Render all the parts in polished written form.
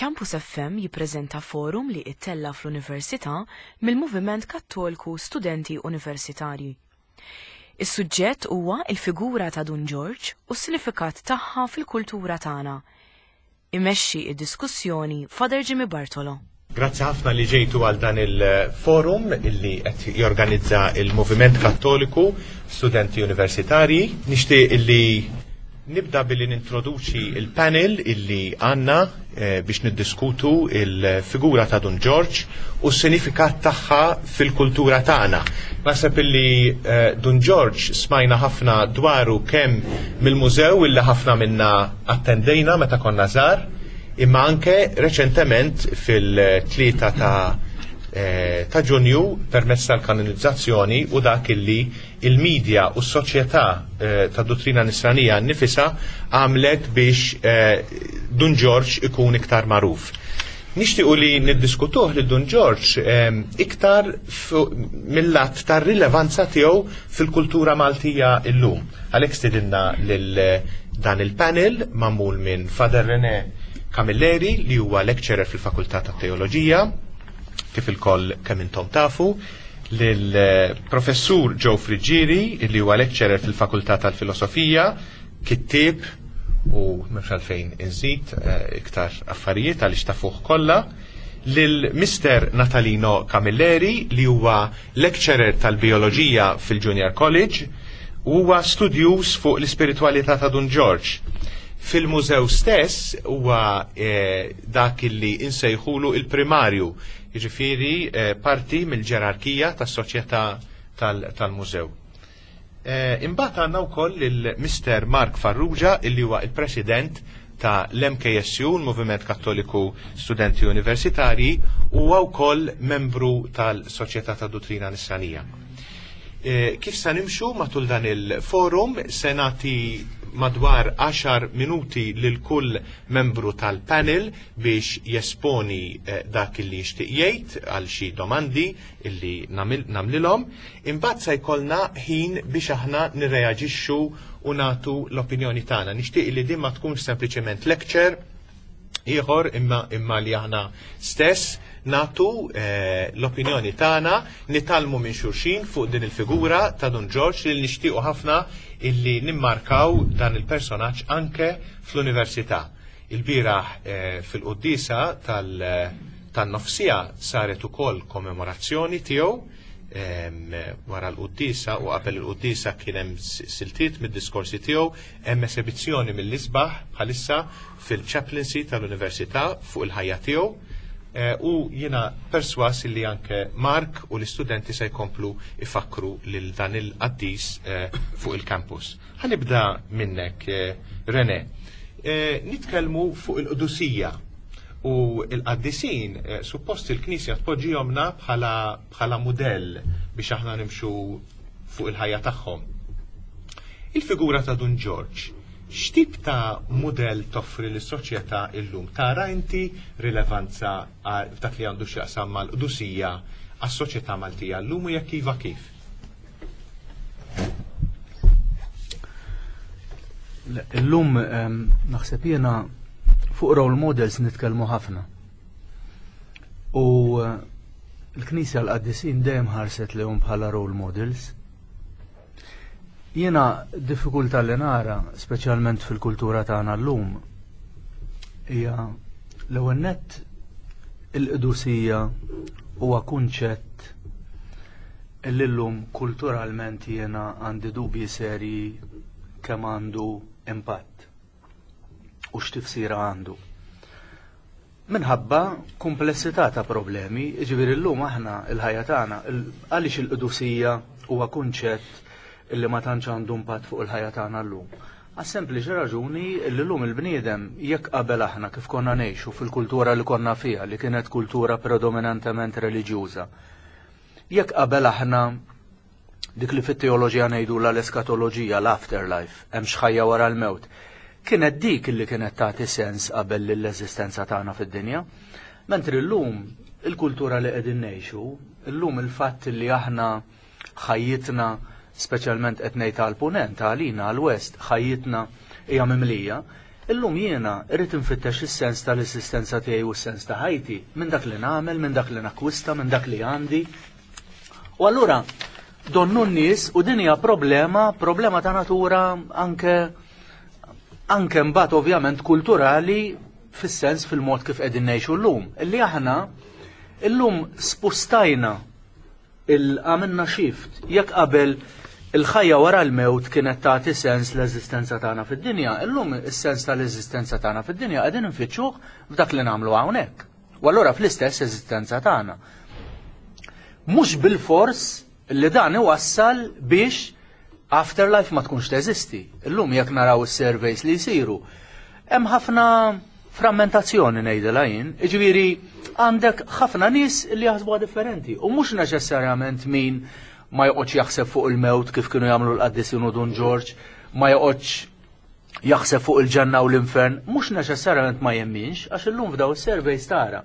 Campus FM jippreżenta forum li ittella' fl-Università mill-Moviment Kattolku Studenti Universitarji. Is-suġġett huwa l-figura ta' Dun Ġorġ u s-sinifikat tagħha fil-kultura tagħna. Imexxi d-diskussjoni Father Jimmy Bartolo. Grazzi ħafna li ġejtu għal dan il-forum illi qed jorganizza il-Moviment Kattoliku Studenti Universitarji. Nixtieq illi nibda billi nintroduċi il-panel illi għandna eh, biex niddiskutu il-figura ta' Dun Ġorġ u s-sinifikat tagħha fil-kultura tagħna. Naħseb illi eh, Dun Ġorġ smajna ħafna dwaru kemm mill-mużew illi ħafna minna attendejna meta konna żgħar, imma anke reċentement fil-tlieta ta' eh, ta' Ġunju permezz tal-kanonizzazzjoni u dak illi il-media u s-soċjetà eh, ta' dottrina nisranija nnifisha għamlet biex eh, Dun Ġorġ ikun iktar magħruf. Nixtiequ li niddiskutuh li Dun Ġorġ iktar mill-lat tar-rilevanza tiegħu fil-kultura Maltija illum. Għalhekk stidinna lil dan il-panel magħmul minn Father René Camilleri li huwa lecturer fil-Fakultà tat-Teoloġija, kif ilkoll kemm intom tafu, lil Professur Joe Friggieri li huwa lecturer fil-Fakultà tal-Filosofija, kittieb u m'hemmx għalfejn inżid eh, iktar affarijiet għaliex tafuh kollha, lil Mr. Natalino Camilleri li huwa lecturer tal-Bioloġija fil-Junior College u huwa studjuż fuq l-ispiritwalità ta' Dun Ġorġ. Fil-mużew stess huwa eh, dak li insejħulu il-primarju, jiġifieri eh, parti mill-ġerarkija tas-soċjetà tal-mużew. Eh, imbagħad għandna wkoll lil Mr. Mark Farrugia illi huwa il-President ta' l-MKSU, l-Moviment Kattoliku Studenti Universitarji, u huwa wkoll membru tal-Soċjetà ta' Duttrina Nisranija. Eh, kif sa nimxu matul dan il-forum se nagħti madwar 10 minuti lil kull membru tal-panel biex jesponi eh, dak li jixtieq jgħid għal xi domandi illi nagħmlilhom. Imbagħad se jkollna ħin biex aħna nirreaġixxu u nagħtu l-opinjoni tagħna. Nixtieq li din ma tkunx sempliċement lecture ieħor imma imma li aħna stess nagħtu eh, l-opinjoni tagħna, nitgħallmu minn xulxin fuq din il-figura ta' Dun Ġorġ li nixtiequ ħafna illi nimmarkaw dan il-personaġġ anke fl-università. Ilbieraħ eh, fil-quddiesa tan-nofsija saret ukoll kommemorazzjoni tiegħu wara l-quddiesa u qabel il-quddiesa kien hemm siltiet mid-diskorsi tiegħu, hemm esebizzjoni mill-isbaħ bħalissa fil-chaplaincy tal-Università fuq il-ħajja tiegħu. Eh, u jiena perswas li anke Mark u l-istudenti se jkomplu ifakru lil dan il-qaddis eh, fuq il-campus. Ħanibda minnek, eh, René. Nitkellmu fuq il-qdusija u il-qaddisin suppost il-Knisja tpoġġihomna bħala bħala mudell biex aħna nimxu fuq il-ħajja tagħhom. Il-figura ta' Dun Ġorġ, x'tip ta' mudell toffri lis-soċjetà illum? Tara inti rilevanza f'dak li għandu x'jaqsam mal-qdusija għas-soċjetà Maltija llum u jekk iva kif? Illum ehm, naħseb jiena fuq role models nitkellmu ħafna. U eh, l-Knisja l-Qaddisin dejjem ħarset lehom bħala role models. Jiena diffikultà li nara, speċjalment fil-kultura tagħna llum, hija l-ewwel nett il-qdusija huwa kunċett li llum kulturalment jiena għandi dubji serji kemm għandu impatt u x'tifsira għandu. Minħabba kumplessità ta' problemi, jiġifieri llum aħna l-ħajja tagħna, għaliex il-qdusija huwa kunċett li ma tantx għandu impatt fuq il-ħajja tagħna llum? Għas-sempliċi raġuni li llum il-bniedem jekk qabel aħna kif konna ngħixu fil-kultura li konna fiha li kienet kultura predominantement reliġjuża. Jekk qabel aħna dik li fit-teoloġija ngħidulha l-eskatoloġija, l-afterlife, hemm x'ħajja wara l-mewt. Kienet dik li kienet tagħti sens qabel lill-eżistenza tagħna fid-dinja. Mentri llum il-kultura li qegħdin ngħixu, illum il-fatt li aħna ħajjitna speċjalment qed ngħid għall-punent, għalina għall-west, ħajjitna hija mimlija. Illum jiena rrid infittex is-sens tal-esistenza tiegħi u s-sens ta' ħajti minn dak li nagħmel, minn dak li nakkwista, minn dak li għandi. U allura donnu n-nies u din hija problema, problema ta' natura anke anke mbagħad ovvjament kulturali fis-sens fil-mod kif qegħdin ngħixu llum. Illi aħna illum spustajna Il għamilna shift. Jekk qabel il-ħajja wara l-mewt kienet tagħti sens l-eżistenza tagħna fid-dinja, illum is-sens tal-eżistenza tagħna fid-dinja qegħdin infittxuh f'dak li nagħmlu hawnhekk. U allura fl-istess eżistenza tagħna. Mhux bilfors li dan iwassal biex afterlife ma tkunx teżisti. Illum jekk naraw is-surveys li jsiru, hemm ħafna frammentazzjoni ngħidilha jien, jiġifieri għandek ħafna nies li jaħsbuha differenti u mhux neċessarjament min ma joqgħodx jaħseb fuq il-mewt kif kienu jagħmlu l-qaddisin u Dun Ġorġ, ma joqgħodx jaħseb fuq il-ġenna u l-infern, mhux neċessarjament ma jemminx, għax illum f'daw is-surveys tara.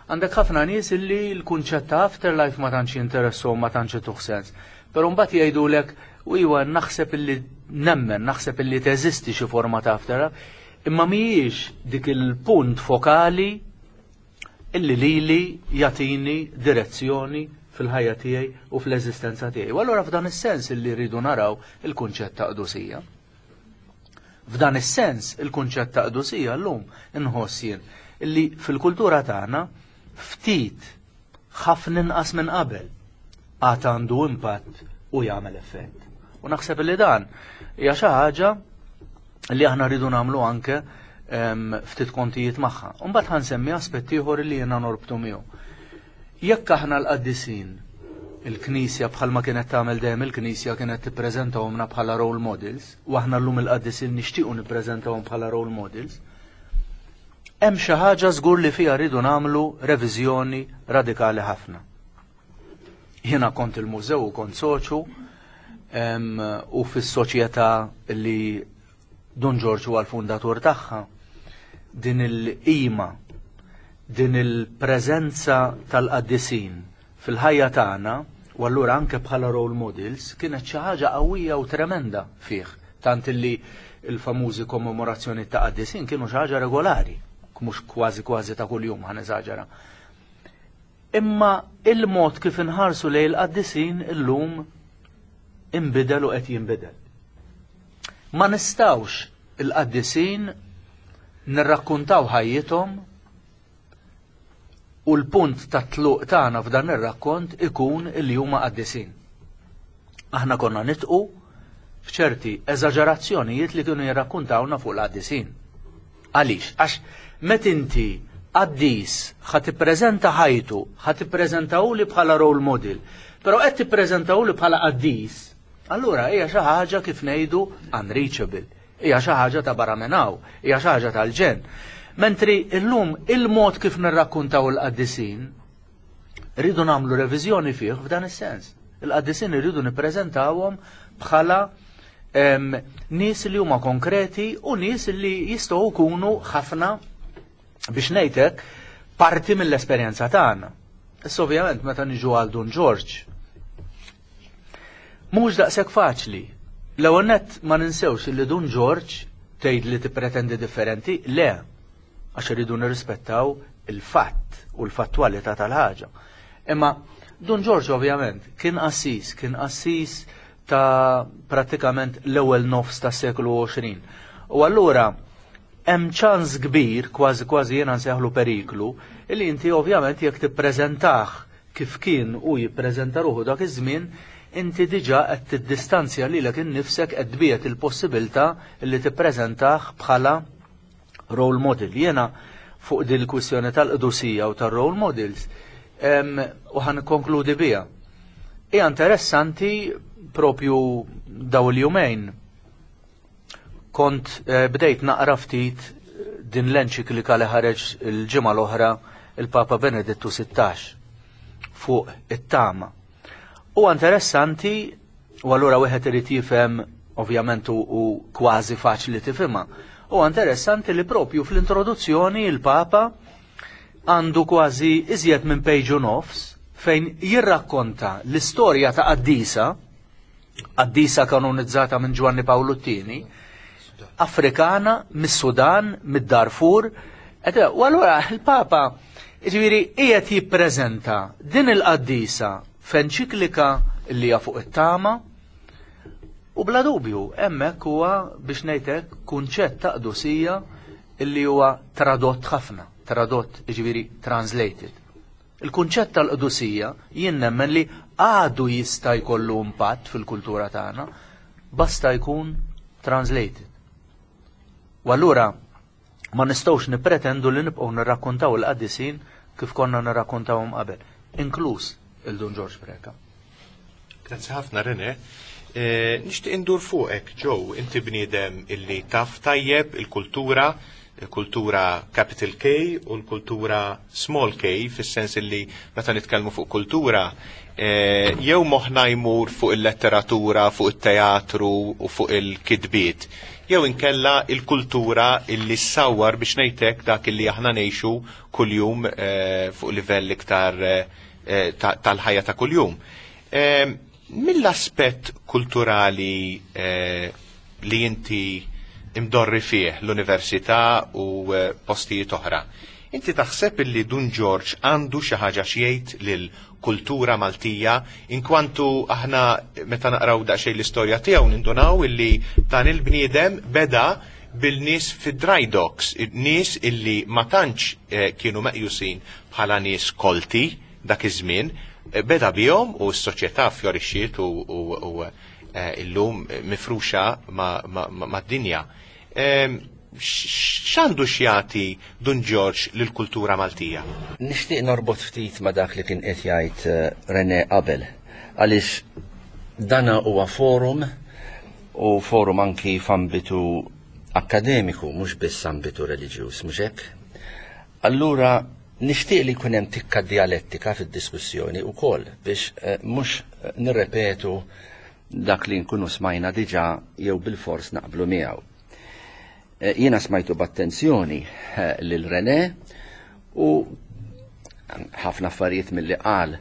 Għandek ħafna nies illi l-kunċett ta' afterlife ma tantx jinteresshom, ma tantx ituh sens. Però mbagħad jgħidulek, u iwa naħseb illi nemmen, naħseb illi teżisti xi forma ta' afterlife, imma mhijiex dik il-punt fokali illi lili jagħtini direzzjoni fil-ħajja tiegħi u fl-eżistenza tiegħi. U allura f'dan is-sens illi rridu naraw il-kunċett ta' qdusija. F'dan is-sens il-kunċett ta' qdusija llum inħoss jien illi fil-kultura tagħna ftit ħafna inqas minn qabel għad għandu impatt u jagħmel effett. U naħseb li dan hija xi ħaġa li aħna rridu nagħmlu anke ftit kontijiet magħha. U mbagħad ħansemmi aspett ieħor li jiena norbtu miegħu. Jekk aħna l-qaddisin il-Knisja bħalma kienet tagħmel dejjem il-Knisja kienet tippreżentahomna bħala role models, u aħna llum il-qaddisin nixtiequ nippreżentahom bħala role models, hemm xi ħaġa żgur li fiha rridu nagħmlu reviżjoni radikali ħafna. Jiena kont il-mużew u kont soċu u fis-soċjetà li Dun Ġorġ huwa l-fundatur tagħha, din il-qima, din il-preżenza tal-qaddisin fil-ħajja tagħna u allura anke bħala role models kienet xi ħaġa qawwija u tremenda fih, tant illi l-famużi kommemorazzjoni ta' qaddisin kienu xi ħaġa regolari, mhux kważi kważi ta' kuljum ħa neżaġera. Imma il-mod kif inħarsu lejn il-qaddisin illum inbidel u qed jinbidel. Ma nistgħux il-qaddisin nirrakkuntaw ħajjithom u l-punt ta' tluq tagħna f'dan ir-rakkont ikun li huma qaddisin. Aħna konna nitqu f'ċerti eżaġerazzjonijiet li kienu jirrakkuntawna fuq l-qaddisin. Għaliex? Għax met inti qaddis ħa tippreżenta ħajtu, ħa tippreżentahuli bħala role model, però qed tippreżentahuli bħala qaddis, allura hija xi ħaġa kif ngħidu unreachable, hija xi ħaġa ta' barra minn hawn, hija xi ħaġa tal-ġenn. Mentri illum il-mod kif nirrakkuntaw il-qaddisin, rridu nagħmlu reviżjoni fih f'dan is-sens. Il-qaddisin irridu nippreżentawhom bħala nies li huma konkreti u nies li jistgħu jkunu ħafna biex ngħidlek parti mill-esperjenza tagħna. Issa ovvjament meta niġu għal Dun Ġorġ, mhux daqshekk faċli. L-ewwel nett ma ninsewx li Dun Ġorġ tgħid li tippretendi differenti, le, għax irridu nirrispettaw il-fatt u l-fattwalità tal-ħaġa. Imma Dun Ġorġ ovvjament kien qassis, kien qassis ta' prattikament l-ewwel nofs tas-seklu 20. U allura hemm ċans kbir, kważi kważi jiena nsejħlu periklu, illi inti ovvjament jekk tippreżentah kif kien u jippreżenta ruħu dak iż-żmien, inti diġà qed tiddistanzja lilek innifsek qed tbiegħed il-possibilità li tippreżentah bħala role model. Jiena fuq din il-kwistjoni tal-qdusija u tar-role models u ħa nikkonkludi biha. Hija interessanti propju daw il-jumejn kont eh, bdejt naqra ftit din l-enċiklika li ħareġ il-ġimgħa l-oħra il-Papa Benedittu 16 fuq it-tama. U interessanti u allura wieħed irid jifhem ovvjament u kważi faċli tifhimha. U interessanti li propju fl-introduzzjoni il-Papa għandu kważi iżjed minn page u nofs fejn jirrakkonta l-istorja ta' qaddisa, qaddisa kanonizzata minn Ġwanni Pawlu t-tieni, Afrikana mis-Sudan, mid-Darfur. U allura il-Papa jiġifieri qiegħed jippreżenta din il-qaddisa f'enċiklika li hija fuq it-tama u bla dubju hemmhekk huwa biex ngħid hekk kunċett ta' qdusija illi huwa tradott ħafna, tradott jiġifieri translated. Il-kunċett tal-qdusija jien nemmen li għadu jista' jkollu impatt fil-kultura tagħna, basta jkun translated. U allura ma nistgħux nippretendu li nibqgħu nirrakkontaw il-qaddisin kif konna nirrakkontawhom qabel, inkluż il-Dun Ġorġ Preca. Grazzi ħafna Rene. Eh, nixtieq indur fuqek, Joe, inti bniedem illi taf tajjeb il-kultura, il-kultura capital K u l-kultura small k, fis-sens illi meta nitkellmu fuq kultura, eh, jew moħħna jmur fuq il-letteratura, fuq it-teatru u fuq il-kitbiet, jew inkella il-kultura illi ssawwar biex ngħidlek dak illi aħna ngħixu kuljum eh, fuq livell iktar eh, tal-ħajja ta' kuljum. Mill-aspett kulturali li inti imdorri fih l-università u postijiet oħra, inti taħseb illi Dun Ġorġ għandu xi ħaġa x'jgħid lill-kultura Maltija inkwantu aħna meta naqraw daqsxejn l-istorja tiegħu nindunaw illi dan il-bniedem beda bil-nies fid-dry docks, nies illi ma tantx kienu meqjusin bħala nies kolti dak iż-żmien, beda bihom u s-soċjetà fjorixxiet u illum mifruxa mad-dinja. X'għandu x'jagħti Dun Ġorġ lill-kultura Maltija? Nixtieq norbot ftit ma' dak li kien qed jgħid René qabel, għaliex dana huwa forum u forum anki f'ambitu akkademiku, mhux biss ambitu reliġjuż, mhux hekk? Allura nixtieq li jkun hemm tikka dialettika fid-diskussjoni wkoll biex mhux nirrepetu dak li nkunu smajna diġà jew bilfors naqblu miegħu. Jiena smajtu b'attenzjoni lil René u ħafna affarijiet milli qal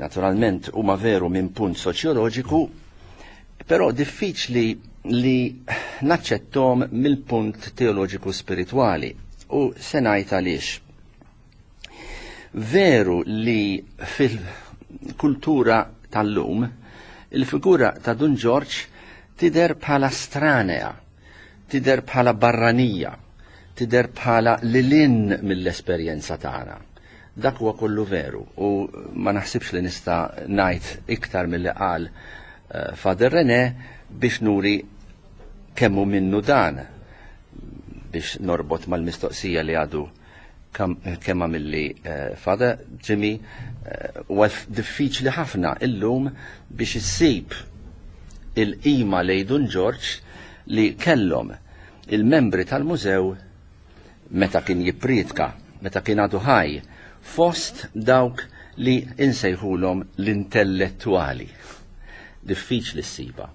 naturalment huma veru minn punt soċjoloġiku, però diffiċli li naċċettom mill-punt teoloġiku spiritwali u se ngħid għaliex. Veru li fil-kultura tal-lum il-figura ta' Dun Ġorġ tidher bħala stranea, tidher bħala barranija, tidher bħala lilin mill-esperjenza tagħna. Dak huwa kollu veru u ma naħsibx li nista' ngħid iktar milli qal eh, Father René biex nuri kemm hu minnu dan biex norbot mal-mistoqsija li għadu kemm għamilli eh, Father Jimmy eh, huwa diffiċli ħafna illum biex issib il-qima lejn Dun Ġorġ li kellhom il-membri tal-mużew meta kien jippriedka, meta kien għadu ħaj, fost dawk li insejħulhom l-intellettwali. Diffiċli ssiba.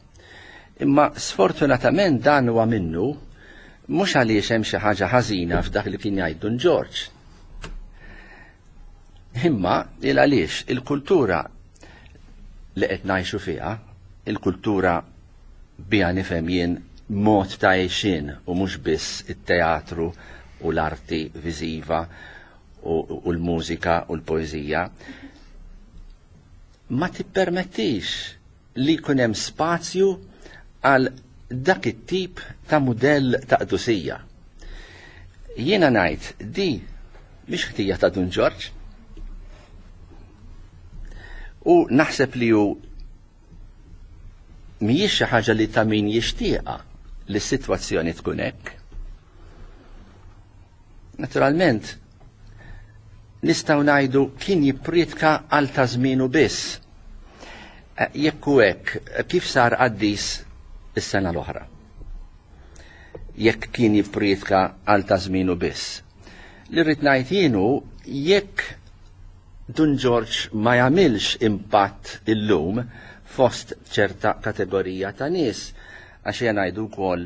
Imma sfortunatament dan huwa minnu mhux għaliex hemm xi ħaġa ħażina f'dak li kien jgħid Dun Ġorġ. Imma il għaliex il-kultura li qed ngħixu fiha, il-kultura biha nifhem jien mod ta' għixien u mhux biss it-teatru u l-arti viżiva u l-mużika u l-poeżija, ma tippermettix li jkun hemm spazju għal dak it-tip ta' mudell ta' qdusija. Jiena ngħid di mhix ħtija ta' Dun Ġorġ. U naħseb li hu mhijiex xi ħaġa li ta' min jixtieqha li s-sitwazzjoni tkun hekk. Naturalment, nistgħu ngħidu kien jippriedka għal ta' żmienu biss. Eh, jekk hu hekk, kif sar qaddis is-sena l-oħra? Jekk kien jippriedka għal ta' żmienu biss. Li rrid ngħid jienu jekk Dun Ġorġ ma jagħmilx impatt illum fost ċerta kategorija ta' nies, għax ejja ngħidu wkoll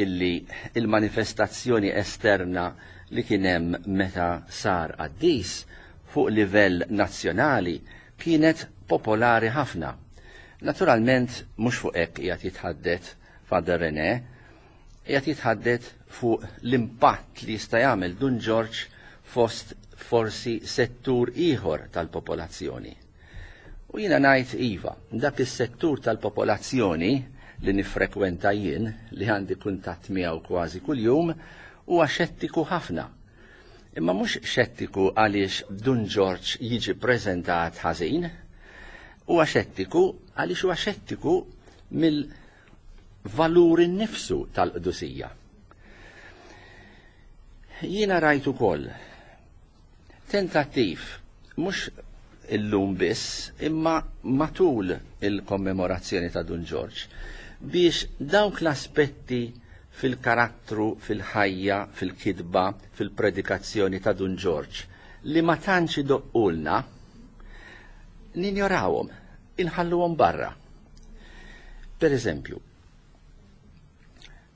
illi il-manifestazzjoni esterna li kien hemm meta sar qaddis fuq livell nazzjonali kienet popolari ħafna. Naturalment mhux fuq hekk qiegħed jitħaddet Father René. Qiegħed jitħaddet fuq l-impatt li jista' jagħmel Dun Ġorġ fost forsi settur ieħor tal-popolazzjoni. U jiena ngħid iva, dak is-settur tal-popolazzjoni li niffrekwenta jien, li għandi kuntatt miegħu kważi kuljum, huwa xettiku ħafna. Imma mhux xettiku għaliex Dun Ġorġ jiġi preżentat ħażin, huwa xettiku għaliex huwa xettiku mill-valur innifsu tal-qdusija. Jiena rajt ukoll tentattiv mhux illum biss imma matul il-kommemorazzjoni ta' Dun Ġorġ biex dawk l-aspetti fil-karattru, fil-ħajja, fil-kitba, fil-predikazzjoni ta' Dun Ġorġ li ma tantx idoqqulna ninjorawhom, inħalluhom barra. Per eżempju,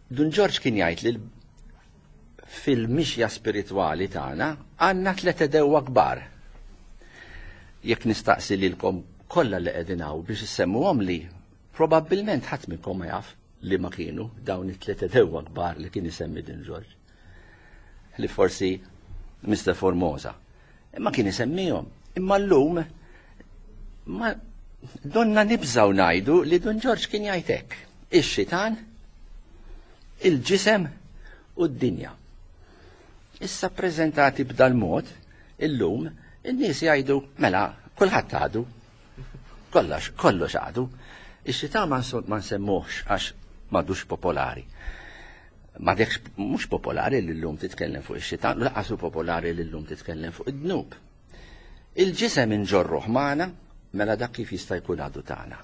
Dun Ġorġ kien jgħid li fil-mixja spiritwali tagħna għandna tliet edewwa kbar. Jekk nistaqsi lilkom kollha li qegħdin hawn biex issemmuhom li, probabbilment ħadd minnkom ma jaf li ma kienu dawn it-tliet edewwa kbar li kien isemmi Dun Ġorġ. Li forsi Mr. Formosa. Imma kien isemmihom. Imma llum ma donna nibżgħu ngħidu li Dun Ġorġ kien jgħid hekk. Ix-xitan, il-ġisem u d-dinja. Issa ppreżentati b'dal-mod, illum, in-nies jgħidu, mela, kulħadd għadu. Kollox, kollox għadu. Ix-xitan ma nsemmuhx għax m'għadux popolari. M'għadekx mhux popolari li llum titkellem fuq ix-xitan, laqas hu popolari li llum titkellem fuq id-dnub. Il-ġisem inġorruh magħna, mela dak kif jista' jkun għadu tagħna.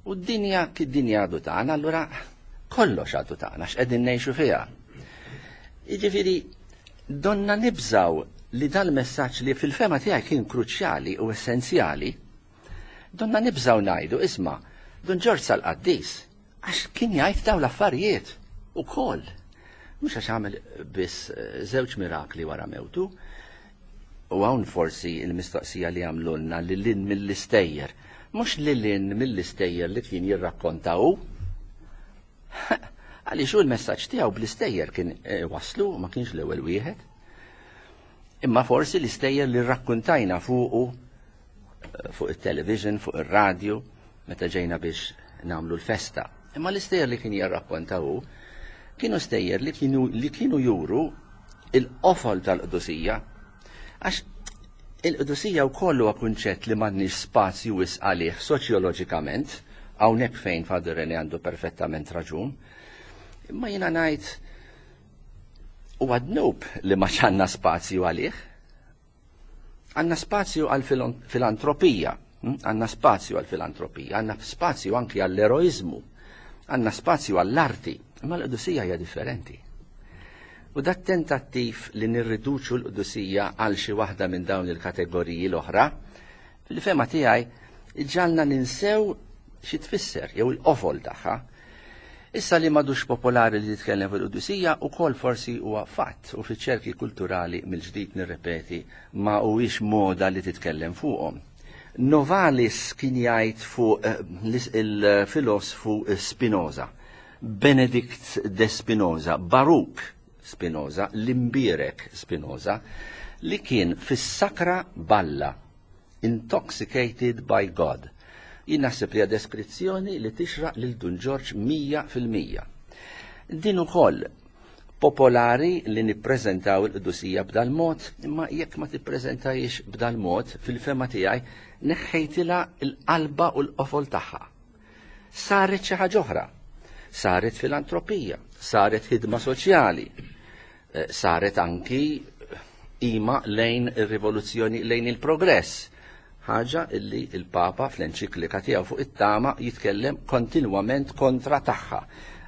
U d-dinja kif dinja għadu tagħna, allura kollox għadu tagħna x'qegħdin ngħixu fiha. Jiġifieri donna nibżaw li dal-messaġġ li fil-fema tiegħi kien kruċjali u essenzjali, donna nibżaw ngħidu isma' Dun Ġorġ sal-qaddis Għax kien jgħid dawn l-affarijiet ukoll. Mhux għax għamel biss eh, żewġ mirakli wara mewtu. U hawn forsi l-mistoqsija li għamlulna li lin mill-istejjer. Mhux li lin mill-istejjer li kien jirrakkonta hu. Għaliex hu l-messaġġ tiegħu bl-istejjer kien eh, waslu, ma kienx l-ewwel wieħed. Imma forsi l-istejjer li rrakkuntajna fuqu eh, fuq it-television, fuq ir-radju, meta ġejna biex nagħmlu l-festa. Imma l-istejjer li kien jirrakkonta hu kienu stejjer li kienu li kienu juru il-qofol tal-qdusija. Għax il-qdusija wkoll huwa kunċett li m'għandniex spazju wisq għalih soċjoloġikament, hawnhekk fejn Father René għandu perfettament raġun. Imma jiena ngħid huwa dnub li ma għandna spazju għalih. Għandna spazju għal filantropija, hm? għandna spazju għal filantropija, għandna spazju anki għall-eroizmu, għandna spazju għall-arti, imma l-qdusija hija differenti. U dat tentattiv li nirriduċu l-qdusija għal xi waħda minn dawn il-kategoriji l-oħra, fil-fema tiegħi ġalna ninsew xi tfisser jew il-qofol tagħha. Issa li m'għadux popolari li titkellem fuq il-qdusija ukoll forsi huwa fatt u fiċ-ċerki kulturali mill-ġdid nirrepeti ma huwiex moda li titkellem fuqhom. Novalis kien jgħid fuq eh, il-filosfu Spinoza, Benedict de Spinoza, Baruch Spinoza, l-imbierek Spinoza, li kien fis-sakra balla Intoxicated by God. Jien naħseb li hija deskrizzjoni li tixraq lil Dun Ġorġ 100%. Din ukoll popolari li nippreżentaw il-qdusija b'dal-mod, imma jekk ma tippreżentajiex b'dal-mod, fil-fema tiegħi neħħejtilha l-qalba u l-qofol tagħha. Saret xi ħaġa oħra. Saret filantropija, saret ħidma soċjali, eh, saret anki ima lejn ir-rivoluzzjoni lejn il-progress. Ħaġa illi il-Papa fl-enċiklika tiegħu fuq it-tama jitkellem kontinwament kontra tagħha.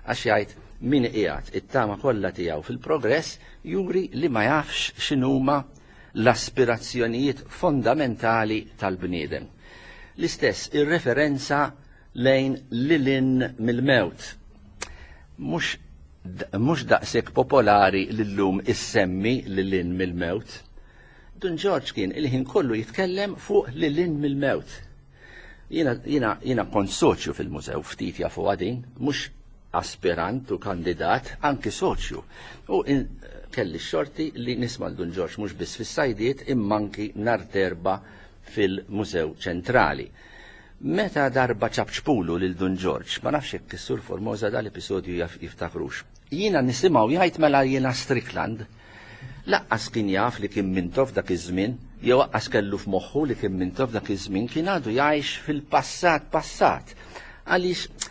Għax jgħid min qiegħed it-tama kollha tiegħu fil-progress juri li ma jafx x'inhuma l-aspirazzjonijiet fondamentali tal-bniedem. L-istess ir-referenza lejn lilin mill-mewt. Mhux mhux daqshekk popolari li llum issemmi lil hinn mill-mewt. Dun Ġorġ kien il-ħin kollu jitkellem fuq lil hinn mill-mewt. Jiena jiena jiena kont soċju fil-mużew ftit jafuha din, mhux aspirant u kandidat, anki soċju. U kelli x-xorti li nisma' Dun Ġorġ mhux biss fis-sajdiet imma anki nhar t'Erbgħa fil-Mużew Ċentrali. Meta darba ċapċpulu lil Dun Ġorġ, ma nafx jekk is-Sur Formosa dal-episodju jaf jiftakrux. Jiena nisimgħu jgħid mela jiena Strickland. Laqqas kien jaf li kien Mintoff dak iż-żmien, jew aqqas kellu f'moħħu li kien Mintoff dak iż-żmien, kien għadu jgħix fil-passat passat. Għaliex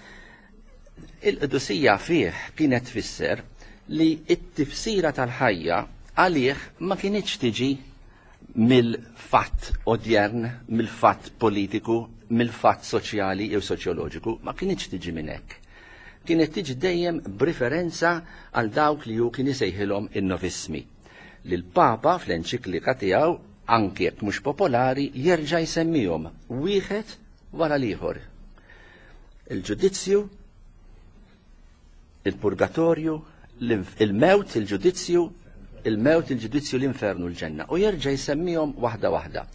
il-qdusija fih kienet tfisser li t-tifsira tal-ħajja għalih ma kinitx tiġi mill-fatt odjern, mill-fatt politiku, mill-fatt soċjali jew soċjoloġiku, ma kinitx tiġi minn hekk. Kienet tiġi dejjem b'riferenza għal dawk li hu kien isejħilhom in-novismi. Li l-Papa fl-enċiklika tiegħu, anki jekk mhux popolari, jerġa' jsemmihom wieħed wara l-ieħor. Il-ġudizzju, il-purgatorju, il-mewt, il-ġudizzju, il-mewt, il-ġudizzju, l-infernu, l-ġenna. U jerġa' jsemmihom waħda waħda.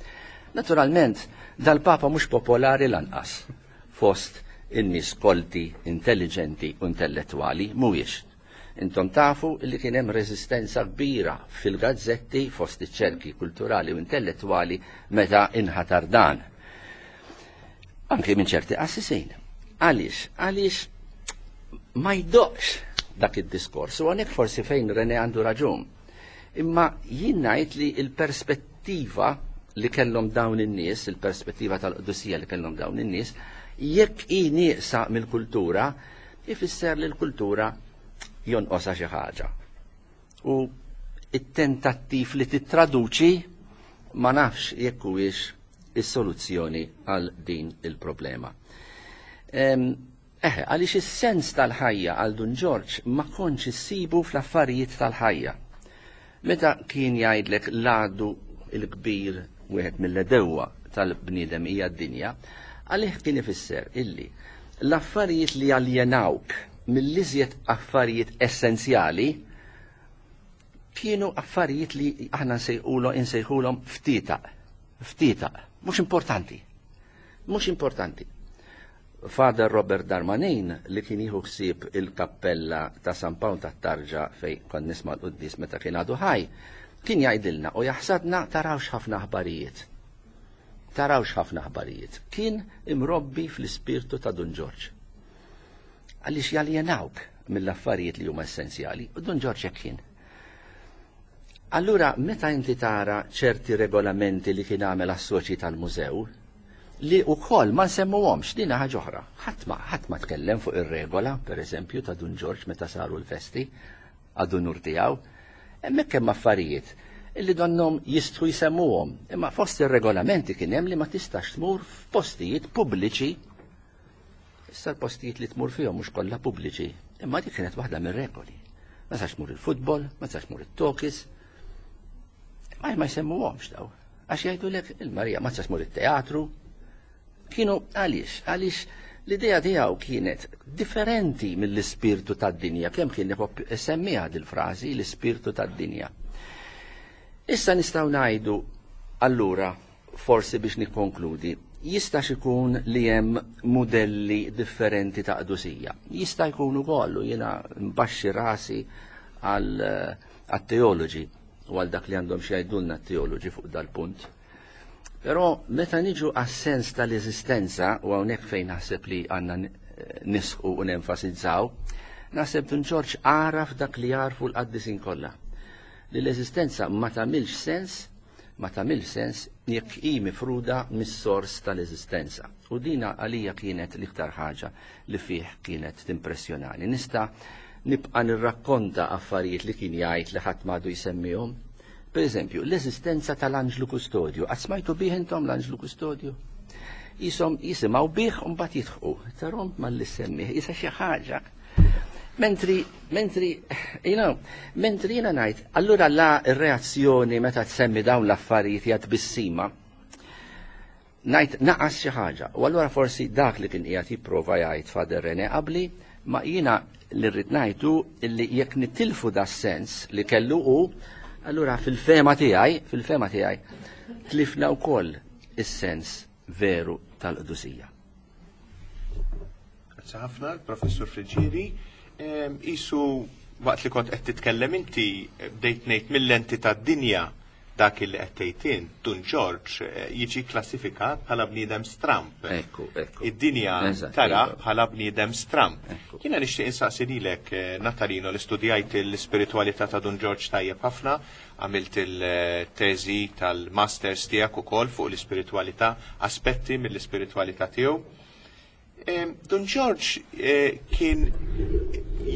Naturalment, dal-Papa mhux popolari lanqas fost in-nies kolti, intelligenti u intellettwali, mhuwiex. Intom tafu li kien hemm reżistenza kbira fil-gazzetti fost iċ-ċerki kulturali u intellettwali meta inħatar dan. Anki minn ċerti qassisin. Għaliex? Għaliex ma jdoqx dak id-diskors. U għonek forsi fejn René għandu raġun. Imma jien ngħid li l-perspettiva li kellhom dawn in-nies, il-perspettiva tal-qdusija li kellhom dawn in-nies, jekk hi nieqsa mill-kultura, ifisser li l-kultura jonqosha xi ħaġa. U it-tentattiv li tittraduċi ma nafx jekk huwiex is-soluzzjoni għal din il-problema. Eħe, għaliex is-sens tal-ħajja għal Dun Ġorġ ma kontx issibu fl-affarijiet tal-ħajja. Meta kien jgħidlek l-għadu l-kbir wieħed mill-għedewwa tal-bniedem hija d-dinja, għalih kien ifisser illi l-affarijiet li jaljenawk mill-iżjed affarijiet essenzjali kienu affarijiet li aħna nsejħulhom ftitaq. Ftitaq, mhux importanti. Mhux importanti. Father Robert Darmanin li kien jieħu ħsieb il-kappella ta' San Pawl tat-Tarġa fejn kont nisma' l-quddies meta kien għadu ħaj, kien jgħidilna u jaħsadna tarawx ħafna aħbarijiet. Tarawx ħafna aħbarijiet. Kien imrobbi fl-ispirtu ta' Dun Ġorġ. Għaliex jaljenawk mill-affarijiet li huma essenzjali, u Dun Ġorġ hekk kien. Allura meta inti tara ċerti regolamenti li kien għamel għas-soċji tal-mużew, li wkoll ma nsemmuhomx, din ħaġa oħra. Ħadd ma ħadd ma tkellem fuq ir-regola, pereżempju, ta' Dun Ġorġ meta saru l-festi għad-unur tiegħu. Hemmhekk hemm affarijiet illi donnhom jistħu jsemmuhom, imma fost ir-regolamenti kien hemm li ma tistax tmur f'postijiet pubbliċi. Issa l-postijiet li tmur fihom mhux kollha pubbliċi, imma dik kienet waħda mir-regoli. Ma tistax tmur il-futbol, ma tistax tmur it-tokis. Ma ma jsemmuhomx daw. Għax jgħidulek il-Marija ma tistax tmur it-teatru. Kienu għaliex, għaliex l-idea tiegħu kienet differenti mill-ispirtu tad-dinja, kemm kien semmiha dil-frażi l-ispirtu tad-dinja. Issa nistgħu ngħidu allura forsi biex nikkonkludi, jistax ikun li hemm mudelli differenti ta' qdusija. Jista' jkun ukoll u jiena nbaxxi rasi għal teoloġi u għal dak li għandhom xi jgħidulna t-teoloġi fuq dal-punt. Però meta niġu għas-sens tal-eżistenza u hawnhekk fejn naħseb li għandna nisħu u nenfasizzaw, naħseb Dun Ġorġ għaraf dak li għarfu l-qaddisin kollha. Li l-eżistenza ma tagħmilx sens ma tagħmilx sens jekk hi mifruda mis-sors tal-eżistenza. U dina għalija kienet l-iktar ħaġa li fih kienet timpressjonani. Nista' nibqa' nirrakkonta affarijiet li kien jgħid li ħadd m'għadu jsemmihom. Per eżempju, l-eżistenza tal-anġlu kustodju. Qatt smajtu bih intom l-anġlu kustodju? Jisom jisimgħu bih u mbagħad jidħqu. Tarom malli semmih, isa xi ħaġa. Mentri, mentri, you know, mentri jiena ngħid, allura la r-reazzjoni meta tsemmi dawn l-affarijiet hija tbissima, ngħid naqas xi ħaġa. U allura forsi dak li kien qiegħed jipprova jgħid Father René qabli, ma jiena li rrid ngħidu li jekk nitilfu da sens li kellu hu, allura fil-fema tiegħi, fil-fema tiegħi, tlifna wkoll is-sens veru tal-qdusija. Grazzi ħafna, Professur Friġieri. Isu waqt li kont qed titkellem inti bdejt ngħid mill-lenti tad-dinja dak li qed tgħid int, Dun Ġorġ jiġi klassifikat bħala bniedem stramp. Ekku, ekku. Id-dinja tara bħala bniedem stramp. Jiena nixtieq insaqsi lilek Natalino li studjajt l-ispiritwalità ta' Dun Ġorġ tajjeb ħafna, għamilt il-teżi tal-masters tiegħek ukoll fuq l-ispiritwalità, aspetti mill-ispiritwalità tiegħu. Dun Ġorġ kien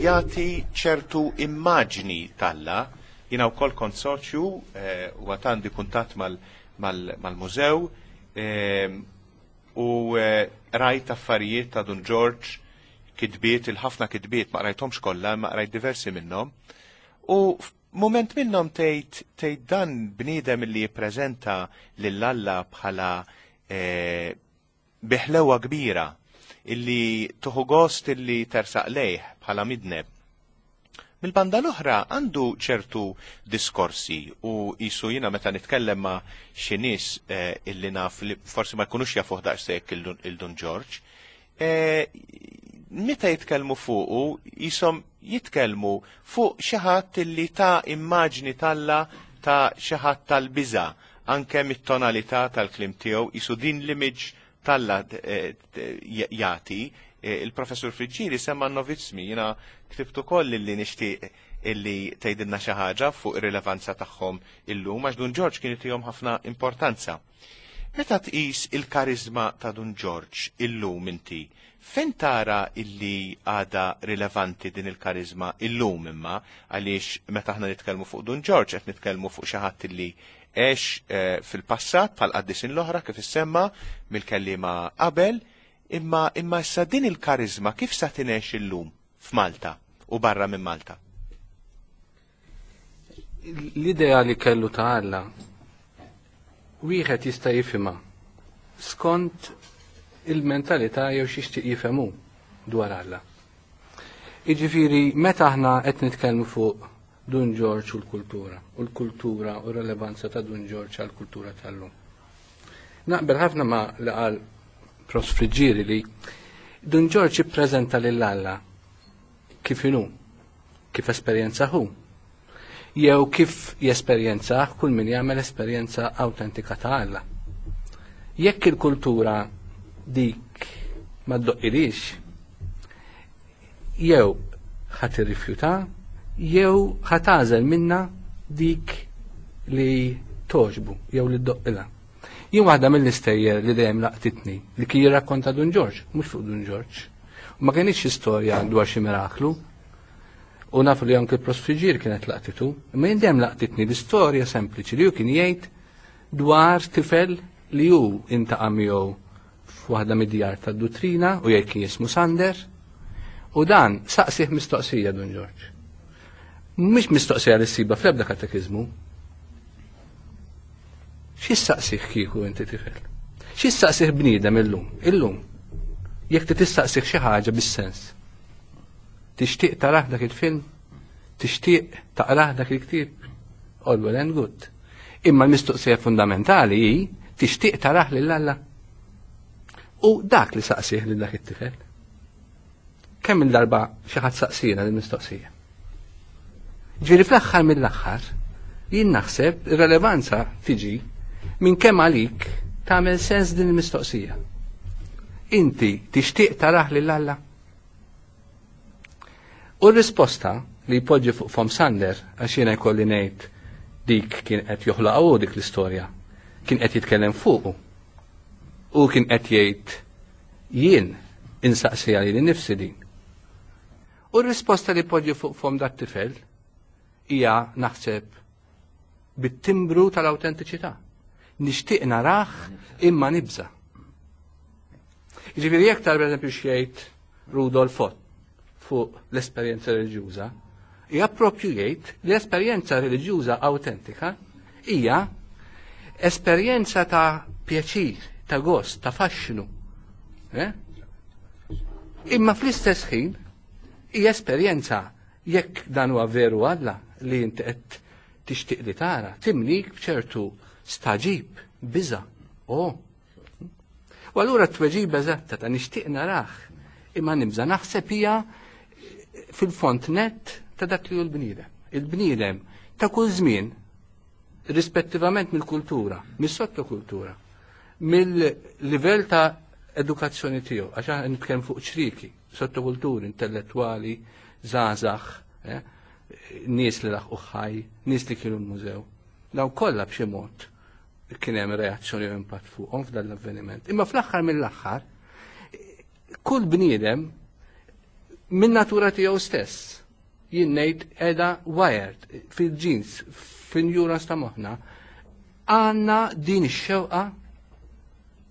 jagħti ċertu immaġni t'Alla. Jiena wkoll kont soċju u għad għandi kuntatt mal-mużew u rajt affarijiet ta' Dun Ġorġ, kitbiet, il-ħafna kitbiet, ma qrajthomx kollha, imma qrajt diversi minnhom. U f'mument minnhom tgħid tgħid dan bniedem li jippreżenta lil Alla bħala bi ħlewwa kbira illi tuħu gost illi tersaq lejh bħala midneb. Mill-banda l-oħra għandu ċertu diskorsi u qisu jiena meta nitkellem ma' xi nies illi naf li forsi ma jkunux jafuh daqshekk il-Dun Ġorġ, meta jitkellmu fuqu qishom jitkellmu fuq xi ħadd illi ta immaġni t'Alla ta' xi ħadd tal-biża' anke mit-tonalità tal-kliem tiegħu qisu din l-image t'Alla jagħti. Il-Professur Friggieri semma n-novizzmi, jiena ktibt ukoll illi nixtieq illi tgħidilna xi ħaġa fuq ir-rilevanza tagħhom illum għax Dun Ġorġ kien itihom ħafna importanza. Meta tqis il-kariżma ta' Dun Ġorġ illum inti, fejn tara illi għadha rilevanti din il-kariżma illum imma għaliex meta aħna nitkellmu fuq Dun Ġorġ qed nitkellmu fuq xi ħadd illi għex fil-passat bħal qaddisin l-oħra kif issemma mill-kelliema qabel, imma imma issa din il-kariżma kif sa tingħex illum f'Malta u barra minn Malta? L-idea li kellu ta' Alla wieħed jista' jifhimha skont il-mentalità jew x'jixtieq jifhem hu dwar Alla. Jiġifieri meta aħna qed nitkellmu fuq Dun Ġorġ u l-kultura, u l-kultura u r-relevanza ta' Dun Ġorġ għall-kultura tal-lum. Naqbel ħafna ma' li qal Prof. Friggieri li Dun Ġorġ ippreżenta lil Alla kif inhu, kif esperjenza hu, jew kif jesperjenzah kull min jagħmel esperjenza awtentika ta' Alla. Jekk il-kultura dik ma ddoqqilix, jew ħa tirrifjuta jew ħa tagħżel minnha dik li togħġbu jew li ddoqqilha. Jien waħda mill-istejjer li dejjem laqtitni li kien jirrakkonta Dun Ġorġ, mhux fuq Dun Ġorġ. U ma kienx xi storja dwar xi miraklu. U nafu li anke l-prosfiġir kienet laqtitu, imma jien dejjem laqtitni l-istorja sempliċi li hu kien jgħid dwar tifel li hu intaqa' miegħu f'waħda mid-djar tad-duttrina u jgħid kien jismu Sander u dan saqsih mistoqsija Dun Ġorġ. Mhix mistoqsija li ssiba fl-ebda katekiżmu. Xi saqsih kieku inti tifel? Xi saqsih bniedem illum? Illum. Jekk tistaqsih xi ħaġa bis-sens. Tixtieq tarah dak il-film? Tixtieq taqrah dak il-ktieb? All well and good. Imma l-mistoqsija fundamentali hi tixtieq tarah lil Alla? U dak li saqsih lil dak it-tifel. Kemm il-darba xi ħadd saqsina l-mistoqsija. Ġifieri fl-aħħar mill-aħħar jien naħseb ir-relevanza tiġi minn kemm għalik tagħmel sens din il-mistoqsija. Inti tixtieq tarah lil Alla? U r-risposta li jpoġġi fuq fom Sander, għax jiena jkolli ngħid dik kien qed joħloqha hu dik l-istorja, kien qed jitkellem fuqu. U kien qed jgħid jien insaqsiha lili nnifsi din. U r-risposta li jpoġġi fuq fom dat-tifel hija naħseb bit-timbru tal-awtentiċità. Nixtieq narah imma nibża'. Jiġifieri jekk tara pereżempju x'jgħid Rudolf Ott fuq l-esperjenza reliġjuża, hija proprju jgħid li l-esperjenza reliġjuża awtentika hija esperjenza ta' pjaċir, ta' gost, ta' faxxinu. Eh? Imma fl-istess ħin hija esperjenza jekk dan huwa veru Alla li inti qed tixtieq li tara, timlik b'ċertu staġib, biża'. Oh, U allura t-tweġiba eżatta ta' nixtieq narah imma nibża' naħseb hija fil-font net ta' dak li hu l-bniedem. Il-bniedem ta' kull żmien, rispettivament mill-kultura, mis-sottokultura, mill-livell ta' edukazzjoni tiegħu, għax aħna nitkellem fuq ċriki, sottokulturi, intellettwali, żgħażagħ, nies li laħqu ħaj, nies li kienu l-mużew. Dawn kollha b'xi mod kien hemm reazzjoni u impatt fuqhom f'dan l-avveniment. Imma fl-aħħar mill-aħħar, kull bniedem minn natura tiegħu stess, jien ngħid qiegħda wired fil-ġins, fil-neurons ta' moħħna, għandna din ix-xewqa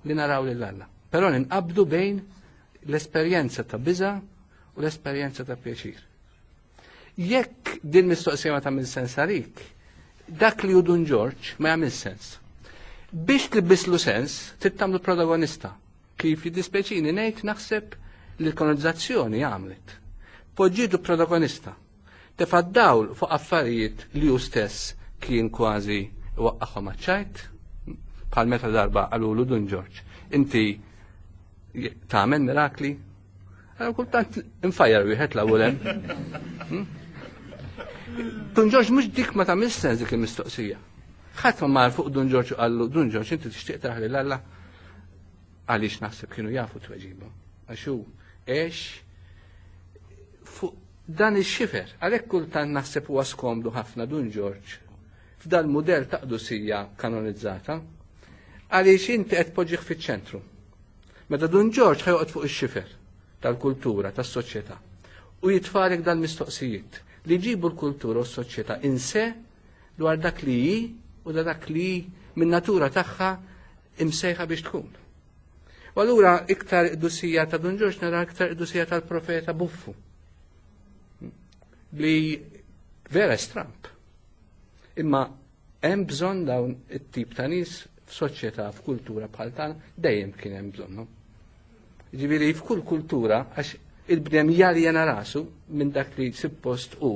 li naraw lil Alla. Però ninqabdu bejn l-esperjenza ta' biża' u l-esperjenza ta' pjaċir. Jekk din mistoqsija ma tagħmel sens għalik, dak li hu Dun Ġorġ ma jagħmel sens. Biex tlibbislu sens, trid tagħmlu protagonista. Kif jiddispjaċini ngħid naħseb li l-kolonizzazzjoni għamlet. Poġġietu protagonista. Tefa' dawl fuq affarijiet li hu stess kien kważi waqqaħhom għaċ-ċajt, bħal meta darba qalulu Dun Ġorġ, inti tagħmel mirakli? Allora kultant infajjar wieħed l-ewwel hemm. Dun Ġorġ mhux dik ma tagħmel sens dik il-mistoqsija. Ħadd ma mar fuq Dun Ġorġ u qallu Dun Ġorġ inti tixtieq taraħ lil Alla? Għaliex naħseb kienu jafu tweġiba. Għax hu għex fuq dan ix-xifer. Għalhekk kultant naħseb huwa skomdu ħafna Dun Ġorġ f'dal mudell ta' qdusija kanonizzata, għaliex inti qed tpoġġih fiċ-ċentru. Meta Dun Ġorġ ħajoqgħod fuq ix-xifer tal-kultura, tas-soċjetà, u jitfalek dal-mistoqsijiet li jġibu l-kultura u s-soċjetà in se dwar dak li hi u da dak li minn natura tagħha imsejħa biex tkun. U allura iktar qdusija ta' Dun Ġorġ nara iktar qdusija tal-profeta Buffu. Li vera stramp. Imma hemm bżonn dawn it-tip ta' nies f'soċjetà, f'kultura bħal tagħna, dejjem kien hemm bżonnhom. Ġifieri f'kull kultura, għax il-bnedem jaljena rasu minn dak li suppost hu,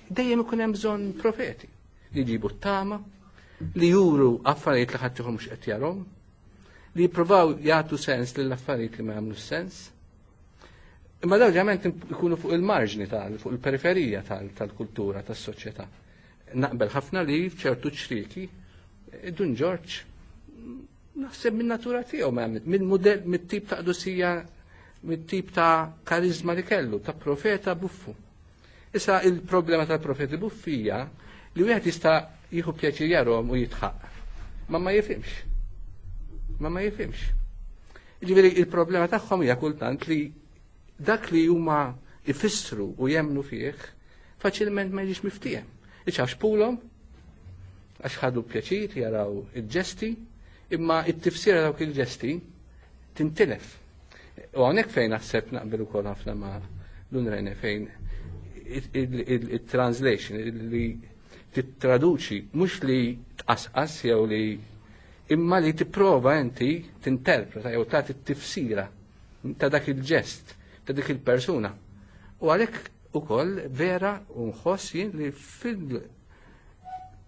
dejjem ikun hemm bżonn profeti li jġibu t-tama, li juru affarijiet li ħadd mhux qed jarhom, li jippruvaw jagħtu sens lill affarijiet li ma jagħmlu sens. Imma dawn ġament ikunu fuq il-marġni tal fuq il-periferija tal-kultura tas-soċjetà. Naqbel ħafna li f'ċertu ċrieki Dun Ġorġ naħseb minn natura tiegħu minn mudell mit-tip ta' qdusija mit-tip ta' karizma li kellu, ta' profeta buffu. Issa il-problema tal-profeti buffi hija li wieħed jista' jieħu pjaċir jarhom u jitħaq. Ma ma jifhimx. Ma ma jifhimx. Ġifieri il-problema tagħhom hija kultant li dak li huma ifissru u jemnu fih faċilment ma jiġix miftiehem. Iċax pulhom għax ħadu pjaċir jaraw il-ġesti, imma it-tifsira dawk il-ġesti tintilef. U hawnhekk fejn naħseb naqbel ukoll ħafna ma' Dun Rene fejn il-translation li tittraduċi mhux li tqasqas jew li imma li tipprova inti tinterpreta jew tagħti t-tifsira ta' dak il-ġest, ta' dik il-persuna. U għalhekk ukoll vera u nħoss jien li fil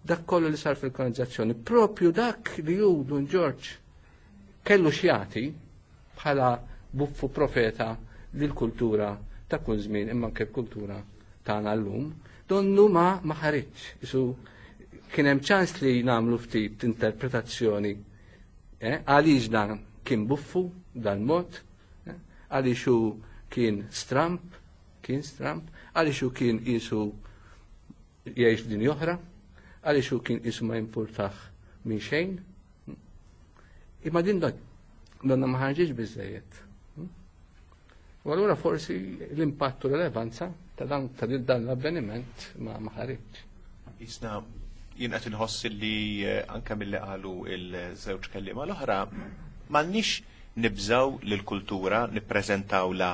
dak kollu li sar fil-kolonizzazzjoni, propju dak li hu Dun Ġorġ kellu x'jagħti bħala buffu profeta lill-kultura ta' kull żmien imma anke l-kultura tagħna llum, donnu ma ma ħariġx. Isu kien hemm ċans li nagħmlu ftit interpretazzjoni għaliex dan kien buffu dan mod, għaliex hu kien stramp, kien stramp, għaliex hu kien qisu jgħix f'dinja oħra, għaliex hu kien qisu ma jimpurtah minn xejn. Imma din donna ma ħarġitx biżejjed. U allura forsi l-impatt u relevanza ta' dan ta' dan l-avveniment ma ma ħaritx. Isna jien qed inħoss li anke milli qalu il-żewġ kelliema l-oħra m'għandniex nibżgħu lill-kultura nippreżentawla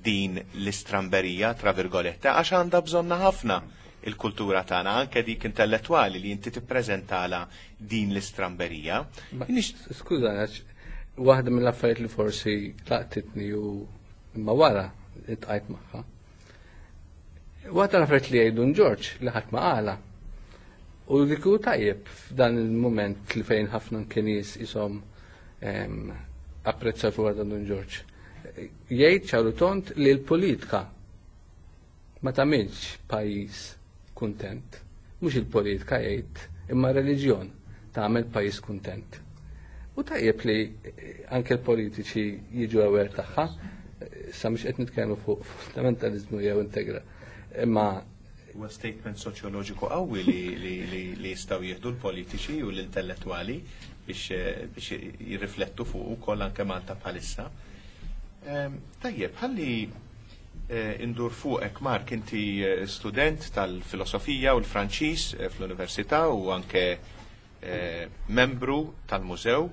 din l-istramberija tra virgolette għax għandha bżonna ħafna il-kultura tagħna anke dik intellettwali li inti tippreżentala din l-istramberija. Skuża, għax waħda mill-affarijiet li forsi laqtitni u imma wara iltqajt magħha. Waħda l-affarijiet li jgħidu Ġorġ li ħadd ma qala. U li kieku tajjeb f'dan il-mument li fejn ħafna nies isom apprezzaw fuq dan Dun Ġorġ. Jgħid ċaru tond li l-politika Ma tagħmilx pajjiż kuntent. Mhux il-politika jgħid, imma reliġjon tagħmel pajjiż kuntent. U tajjeb li anke l-politiċi jiġu aware tagħha, sa mhux qed nitkellmu fuq fundamentalizmu jew integra. Imma Huwa statement soċjoloġiku qawwi li jistgħu jieħdu l-politiċi u l-intellettwali biex jirriflettu fuq ukoll anke Malta bħalissa. Tajjeb, ħalli indur fuqek Mark, inti student tal-filosofija u l-Franċiż fl-Università u anke membru tal-mużew.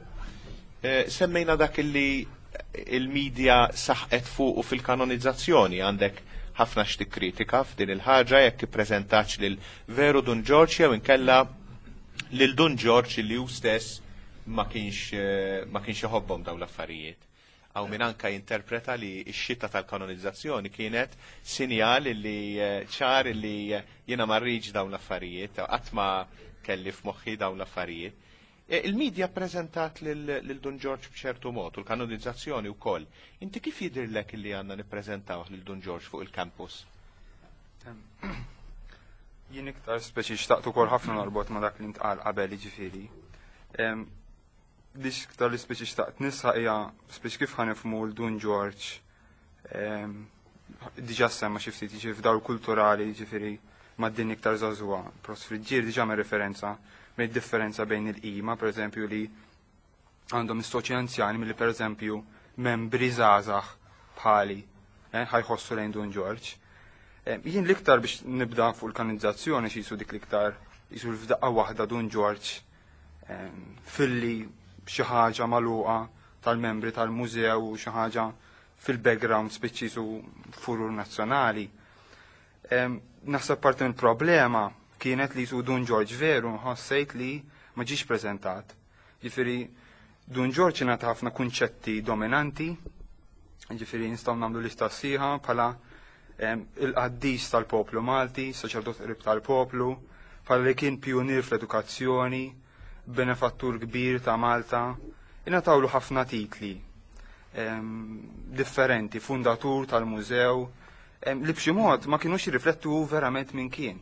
Semmejna dak li il-medja saħqet fuq u fil-kanonizzazzjoni għandek ħafna x'tikkritika f'din il-ħaġa jekk ippreżentax lil veru Dun Ġorġ jew inkella lil Dun Ġorġ li hu stess ma kienx iħobbhom dawn l-affarijiet. Hawn min anka jinterpreta li x-xita tal-kanonizzazzjoni kienet sinjal li ċar li jiena ma rridx dawn l-affarijiet, qatt ma kelli f'moħħi dawn l-affarijiet. Il-medja prezentat lil Dun Ġorġ b'ċertu mod u l-kanonizzazzjoni wkoll. Inti kif jidhirlek li għandna nippreżentawh lil Dun Ġorġ fuq il-campus? Jien iktar speċi xtaqt ukoll ħafna norbot ma' dak li ntqal qabel jiġifieri. Li iktar li speċi xtaqt nisħaq hija speċi kif ħa nifhmu l Dun Ġorġ diġà semma xi ftit jiġifieri f'dawl kulturali jiġifieri mad-din iktar żagħżugħa. Prof. Friggieri diġà għamel referenza bejn differenza bejn il-qima, pereżempju, li għandhom is-soċi anzjani milli pereżempju membri żgħażagħ bħali ħajħossu lejn Dun Ġorġ. Jien l-iktar biex nibda fuq il-kanonizzazzjoni xi jisu dik l-iktar jisu f'daqqa waħda Dun Ġorġ filli xi ħaġa magħluqa tal-membri tal-mużew u xi ħaġa fil-background spiċċi jisu furur nazzjonali. Naħseb parti mill problema kienet li jisu Dun Ġorġ veru ħossejt li ma ġiex preżentat. Ġifieri Dun Ġorġ ingħata ħafna kunċetti dominanti, ġifieri nistgħu nagħmlu lista sħiħa bħala il-qaddis tal-poplu Malti, saċerdot qrib tal-poplu, bħala li kien pijunier fl-edukazzjoni, benefattur kbir ta' Malta, ingħatawlu ħafna titli differenti, fundatur tal-mużew, li b'xi mod ma kinux jirriflettu verament min kien.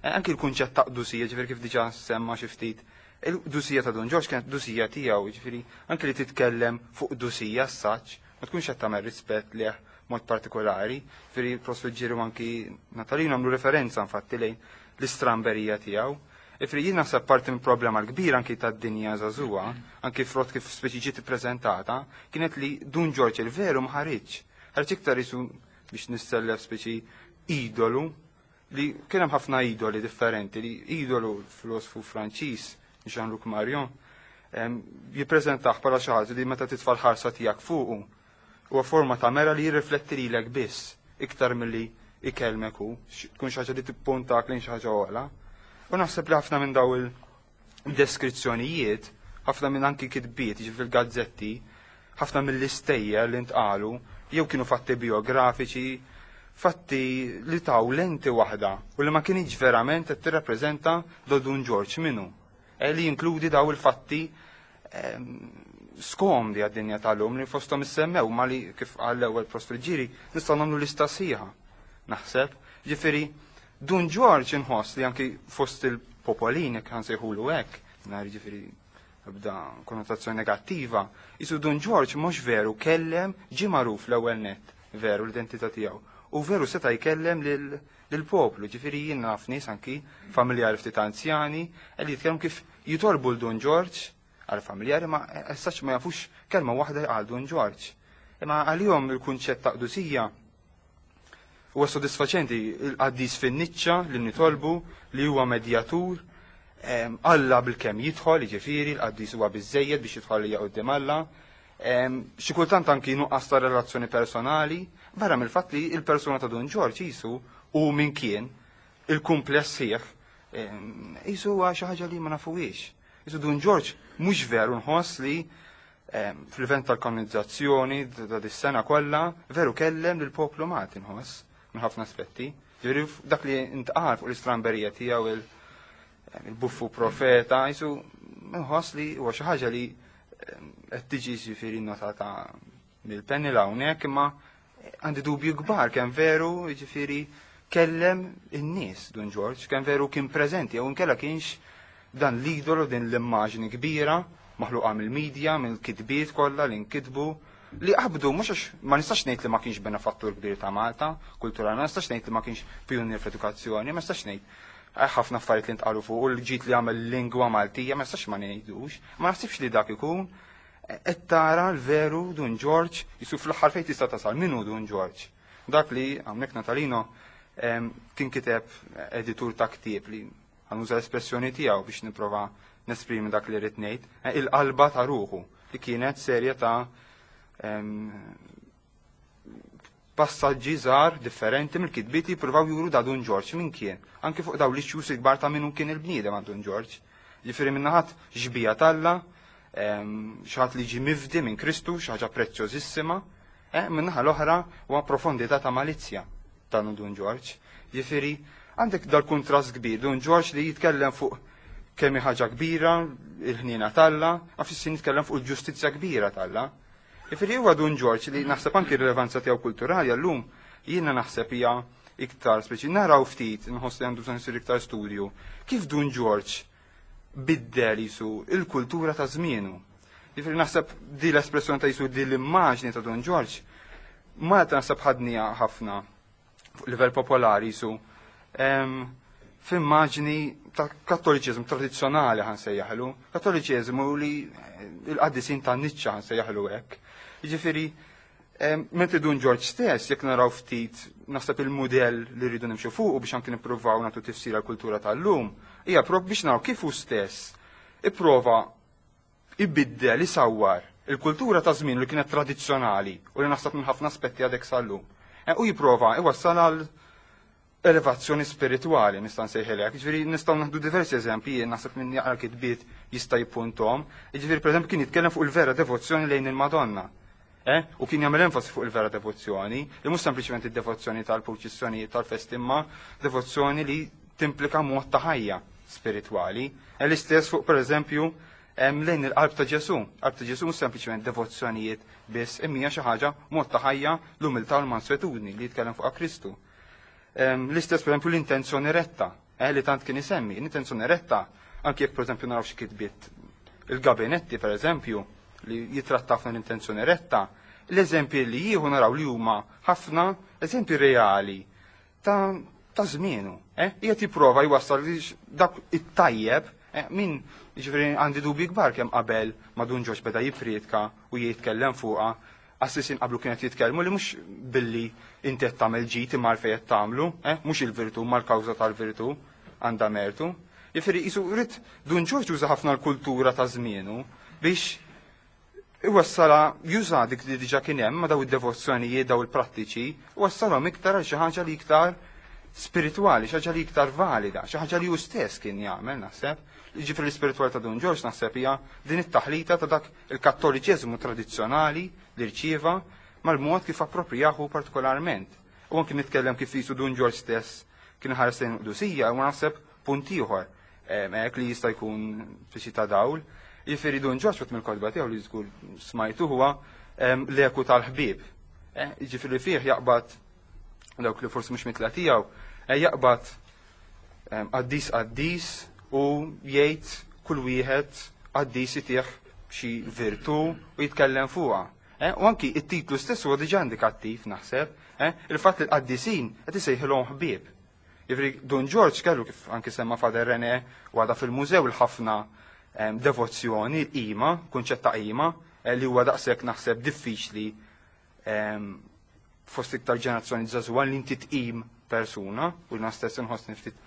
Anki l-kunċett ta' qdusija, ġifieri kif diġà semma xi ftit, il-qdusija ta' Dun Ġorġ kienet qdusija tiegħu, ġifieri anki li titkellem fuq qdusija s-saċ, ma tkunx qed tagħmel rispett leh mod partikolari, ġifieri Prof. Ġiru anki Natalino għamlu referenza infatti lejn l-istramberija tiegħu. Ġifieri jien naħseb parti minn problema l-kbira anki tad-dinja żagħżugħa, anki frott kif speċi ġiet ippreżentata, kienet li Dun Ġorġ il-veru ma ħariġx. Ħareġ iktar isu biex nissellef speċi idolu, li kien hemm ħafna idoli differenti, li idolu filosofu Franċiż Jean-Luc Marion jippreżentah bħala xi ħaġa li meta titfa' l-ħarsa tiegħek fuqu huwa forma ta' mera li jirrifletti lilek biss iktar milli ikellmek hu, tkun xi ħaġa li tippuntak lejn xi ħaġa ogħla. U naħseb li ħafna minn daw il-deskrizzjonijiet, ħafna minn anki kitbiet, jiġifieri fil-gazzetti, ħafna mill-istejjer li ntqalu, jew kienu fatti biografiċi, fatti li taw lenti waħda u li ma kienx verament qed tirrappreżenta do Dun Ġorġ minnu. Li jinkludi daw il-fatti skomdi għad-dinja tal-lum li fosthom issemmew ma li kif qal l-ewwel Prof. Friggieri nistgħu nagħmlu lista sħiħa. Naħseb, ġifieri Dun Ġorġ inħoss li anki fost il-popolini jekk ħansejħulu hekk, nhar ġifieri ebda konnotazzjoni negattiva, isu Dun Ġorġ mhux veru kellem ġie magħruf l-ewwel nett veru l-identità tiegħu. U veru seta' jkellem lill-poplu, ġifieri jien naf nies anki familjari ftit anzjani li jitkellmu kif jitolbu l Dun Ġorġ għal familjari ma essax ma jafux kelma waħda għal Dun Ġorġ. Imma għalihom il-kunċett ta' qdusija huwa sodisfaċenti, il-qaddis fin-niċċa li nitolbu li huwa medjatur, Alla bil-kemm jidħol, jiġifieri l-qaddis huwa biżejjed biex jidħol hija quddiem Alla. Xi kultant anki nuqqas ta' relazzjoni personali, barra mill-fatt li l-persuna ta' Dun Ġorġ jisu u min kien il-kumpless sħiħ, jisu huwa xi ħaġa li ma nafuhiex. Jisu Dun Ġorġ mhux veru nħoss li fl-event tal-kanonizzazzjoni ta' dis-sena kollha veru kellem lill-poplu Malti nħoss minn ħafna aspetti. Ġifieri dak li ntqal fuq l-istramberija tiegħu il-buffu profeta, jisu nħoss li huwa xi ħaġa li qed tiġi ġifieri notata mill-panel hawnhekk, imma għandi dubju kbar kemm veru jiġifieri kellem in-nies Dun Ġorġ, kemm veru kien preżenti jew inkella kienx dan l-idolu din l-immaġni kbira maħluqa mill-medja, mill-kitbiet kollha li nkitbu li qabdu mhux għax ma nistax ngħid li ma kienx benefattur kbir ta' Malta kulturali, ma nistax ngħid li ma kienx pionier fl-edukazzjoni, ma nistax ngħid ħafna affarijiet li ntqalu fuq u l-ġid li għamel lingwa Maltija, ma nistax ma ngħidux, ma naħsibx li dak ikun qed tara l-veru Dun Ġorġ jisu fl-aħħar fejn tista' tasal min hu Dun Ġorġ. Dak li hawnhekk Natalino kien kiteb editur ta' ktieb li ħanuża l-espressjoni tiegħu biex nipprova nesprimi dak li rrid ngħid, il-qalba ta' ruħu li kienet serje ta' passaġġi żgħar differenti mill-kitbiet li jippruvaw juru da Dun Ġorġ min kien, anki fuq dawn l-issues il-kbar ta' min hu kien il-bniedem għand Dun Ġorġ. Ġifieri minn naħat xbija t'Alla, xi ħadd li ġie mifdi minn Kristu, xi ħaġa prezzjożissima, minn naħa l-oħra huwa profondità ta' malizzja ta' Dun Ġorġ. Ġifieri għandek dal-kuntrast kbir, Dun Ġorġ li jitkellem fuq kemm hi ħaġa kbira il-ħniena t'Alla, ma fis-sin jitkellem fuq il-ġustizzja kbira t'Alla. Ġifieri huwa Dun Ġorġ li naħseb anki r-rilevanza tiegħu kulturali għallum jiena naħseb hija iktar speċi naraw ftit, nħoss li għandu bżonn isir iktar studju, kif Dun Ġorġ biddel jisu il-kultura ta' żmienu. Ġifieri naħseb di l-espressjoni ta' jisu di l-immaġni ta' Dun Ġorġ, Malta naħseb ħadnija ħafna fuq livell popolari jisu f'immaġni ta' kattoliċiżmu tradizzjonali ħan sejjaħlu, kattoliċiżmu li il-qaddisin ta' niċċa ħan sejjaħlu hekk. Jiġifieri mentri Dun Ġorġ stess, jekk naraw ftit naħseb il-mudell li rridu nimxu fuq biex anki nippruvaw nagħtu tifsira l-kultura tal-lum, hija prop biex naraw kif hu stess ipprova ibiddel, isawwar il-kultura ta' żmien li kienet tradizzjonali u li naħseb minn ħafna aspetti għadek sal-lum. U jipprova iwassal għal elevazzjoni spiritwali nista' nsejħilek. Jiġifieri nistgħu naħdu diversi eżempji, jien naħseb min jaqra kitbiet jista' jippuntom. Jiġifieri pereżempju kien jitkellem fuq il-vera devozzjoni lejn il-Madonna. U kien jagħmel enfasi fuq il-vera devozzjoni, li mhux sempliċement id-devozzjoni tal-purċissjonijiet tal-festi, imma devozzjoni li timplika mod ta' ħajja spiritwali. L-istess fuq pereżempju lejn il-qalb ta' Ġesù. Qalb ta' Ġesù mhux sempliċement devozzjonijiet biss, imma hija xi ħaġa mod ta' ħajja, l-umiltà u l-manswetudni li jitkellem fuqha Kristu. L-istess pereżempju l-intenzjoni retta, li tant kien isemmi, l-intenzjoni retta, anki jekk pereżempju naraw xi kitbiet il-gabinetti pereżempju li jitratta ħafna l-intenzjoni retta, l-eżempji li jieħu naraw li huma ħafna eżempji reali ta' żmienu. Qiegħed jipprova jwassal li dak it-tajjeb, min jiġifieri għandi dubji kbar kemm qabel ma Dun Ġorġ beda jippriedka u jitkellem fuqha, Assisin qablu kienet jitkellmu li mhux billi inti qed tagħmel ġid imma għalfejn qed tagħmlu, mhux il-virtù ma l-kawża tal-virtù għandha mertu. Jiġifieri qisu rrid Dun Ġorġ juża ħafna l-kultura ta' żmienu biex iwassala juża dik li diġà kien hemm ma' daw id-devozzjonijiet, daw il-prattiċi, wassalhom iktar għal xi ħaġa li iktar spiritwali, xi ħaġa li iktar valida, xi ħaġa li hu stess kien jagħmel naħseb. Jiġifieri l-ispiritwal ta' Dun Ġorġ naħseb hija din it-taħlita ta' dak il-kattoliċeżmu tradizzjonali li rċieva mal-mod kif approprijahu partikolarment. U anki nitkellem kif jisu Dun Ġorġ stess kien ħares lejn qdusija, u naħseb punt ieħor hekk li jista' jkun fixi ta' dawl. Jiġifieri Dun Ġorġ wieħed mill-kotba tiegħu li żgur smajtu huwa l-eku tal-ħbieb. Jiġifieri fih jaqbad dawk li forsi mhux mitla tiegħu, jaqbad qaddis qaddis u jgħid kull wieħed qaddis itih xi virtù u jitkellem fuqha. U anki it-titlu stess huwa diġà indikattiv naħseb, il-fatt li l-qaddisin qed isejħilhom ħbieb. Jiġifieri Dun Ġorġ kellu kif anki semma Father René u għadha fil-mużew il-ħafna devozzjoni, l-qima, kunċett ta' qima, li huwa daqshekk naħseb diffiċli fost iktar ġenerazzjoni żagħżugħa li inti tqim persuna, u jiena stess inħossni ftit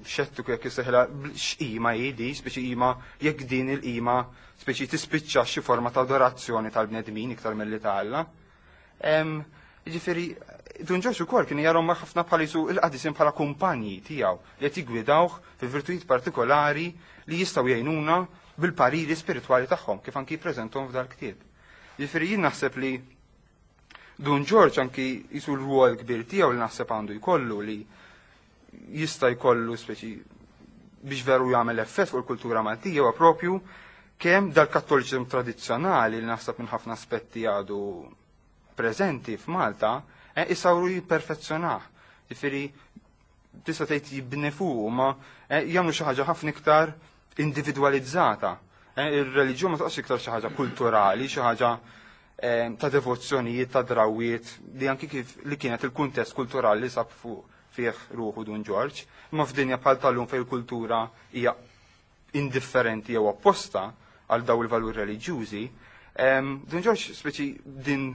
xettiku jekk isseħħilha x'qima hi di, speċi qima jekk din il-qima speċi tispiċċa xi forma ta' adorazzjoni tal-bnedmin iktar milli ta' Alla. Jiġifieri Dun Ġorġ ukoll kien jarhom ħafna bħal jisu il-qadisin bħala kumpanji tiegħu li qed jiggwidawh fi virtujiet partikolari li jistgħu jgħinuna bil-pariri spiritwali tagħhom kif anki jippreżenthom f'dal-ktieb. Jiġifieri jien naħseb li Dun Ġorġ anki jisu l-rwol kbir tiegħu li naħseb għandu jkollu li jista' jkollu speċi biex veru jagħmel effett fuq il-kultura Maltija huwa propju kemm dal-kattoliċiżmu tradizzjonali li naħseb minn ħafna aspetti għadu preżenti f'Malta, isawru jipperfezzjonah. Ġifieri tista' tgħid jibni fuq ma eh, jagħmlu xi ħaġa ħafna iktar individwalizzata. Eh, ir-reliġjon ma taqgħodx iktar xi ħaġa kulturali, xi ħaġa eh, ta' devozzjonijiet, ta' drawiet, li anki kif li kienet il-kuntest kulturali li sab fuq fih ruħu Dun Ġorġ, imma f'dinja bħal tal-lum fejn il-kultura hija indifferenti jew opposta għal daw il-valuri reliġjużi, Dun Ġorġ speċi din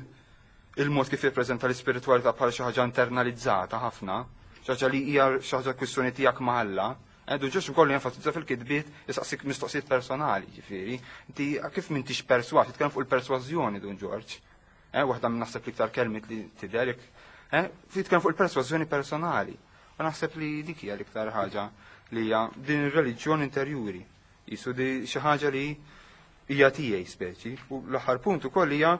il-mod kif jirpreżenta l-ispiritwalità bħala xi ħaġa internalizzata ħafna, xi ħaġa li hija xi ħaġa kwistjoni tiegħek ma' Alla, eh, Dun Ġorġ ukoll jenfasizza fil-kitbiet jisaqsik mistoqsijiet personali, ġifieri. Inti kif m'intix persważ, jitkellem fuq il-persważjoni Dun Ġorġ. Eh, waħda minn naħseb l-iktar kelmiet li tidher eh, jitkellem fuq il-persważjoni personali. U naħseb li dik hija l-iktar ħaġa li hija din ir-reliġjon interjuri. Jisu di xi ħaġa li hija tiegħi speċi. U l-aħħar punt ukoll hija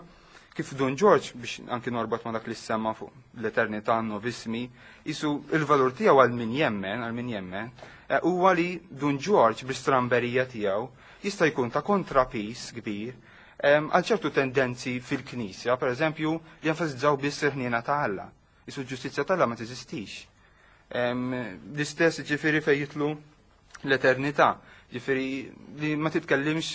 kif Dun Ġorġ biex anki norbot ma dak li semma fuq l-eternità novismi, jisu il-valur tiegħu għal min jemmen, għal min jemmen, eh, huwa li Dun Ġorġ bl-istramberija tiegħu jista' jkun ta' kontrapis kbir għal ċertu tendenzi fil-Knisja, per eżempju, li jenfasizzaw biss il-ħniena ta' Alla. Jisu l-ġustizzja ta' Alla ma teżistix. L-istess ġifieri fejn jitlu l-eternità, ġifieri li ma titkellimx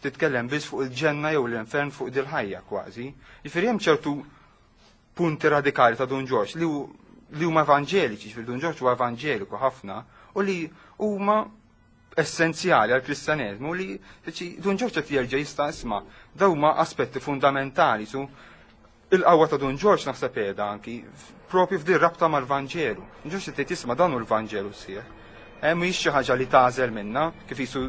titkellem biss fuq il-ġenna jew l-infern fuq dil-ħajja kważi. Ġifieri hemm ċertu punti radikali ta' Dun Ġorġ li li huma evanġeliċi, ġifieri Dun Ġorġ huwa evanġeliku ħafna u li huma essenzjali għal kristjaneżmu li Dun Ġorġ qed jerġa' jista' isma' dawn huma aspetti fundamentali su il-qawwa ta' Dun Ġorġ naħseb qiegħda anki propju f'din rabta mal-Vanġelu. Dun Ġorġ qed jisma' dan hu l-Vanġelu sieħ. Eh, mhijiex xi ħaġa li tagħżel minna, kif jisu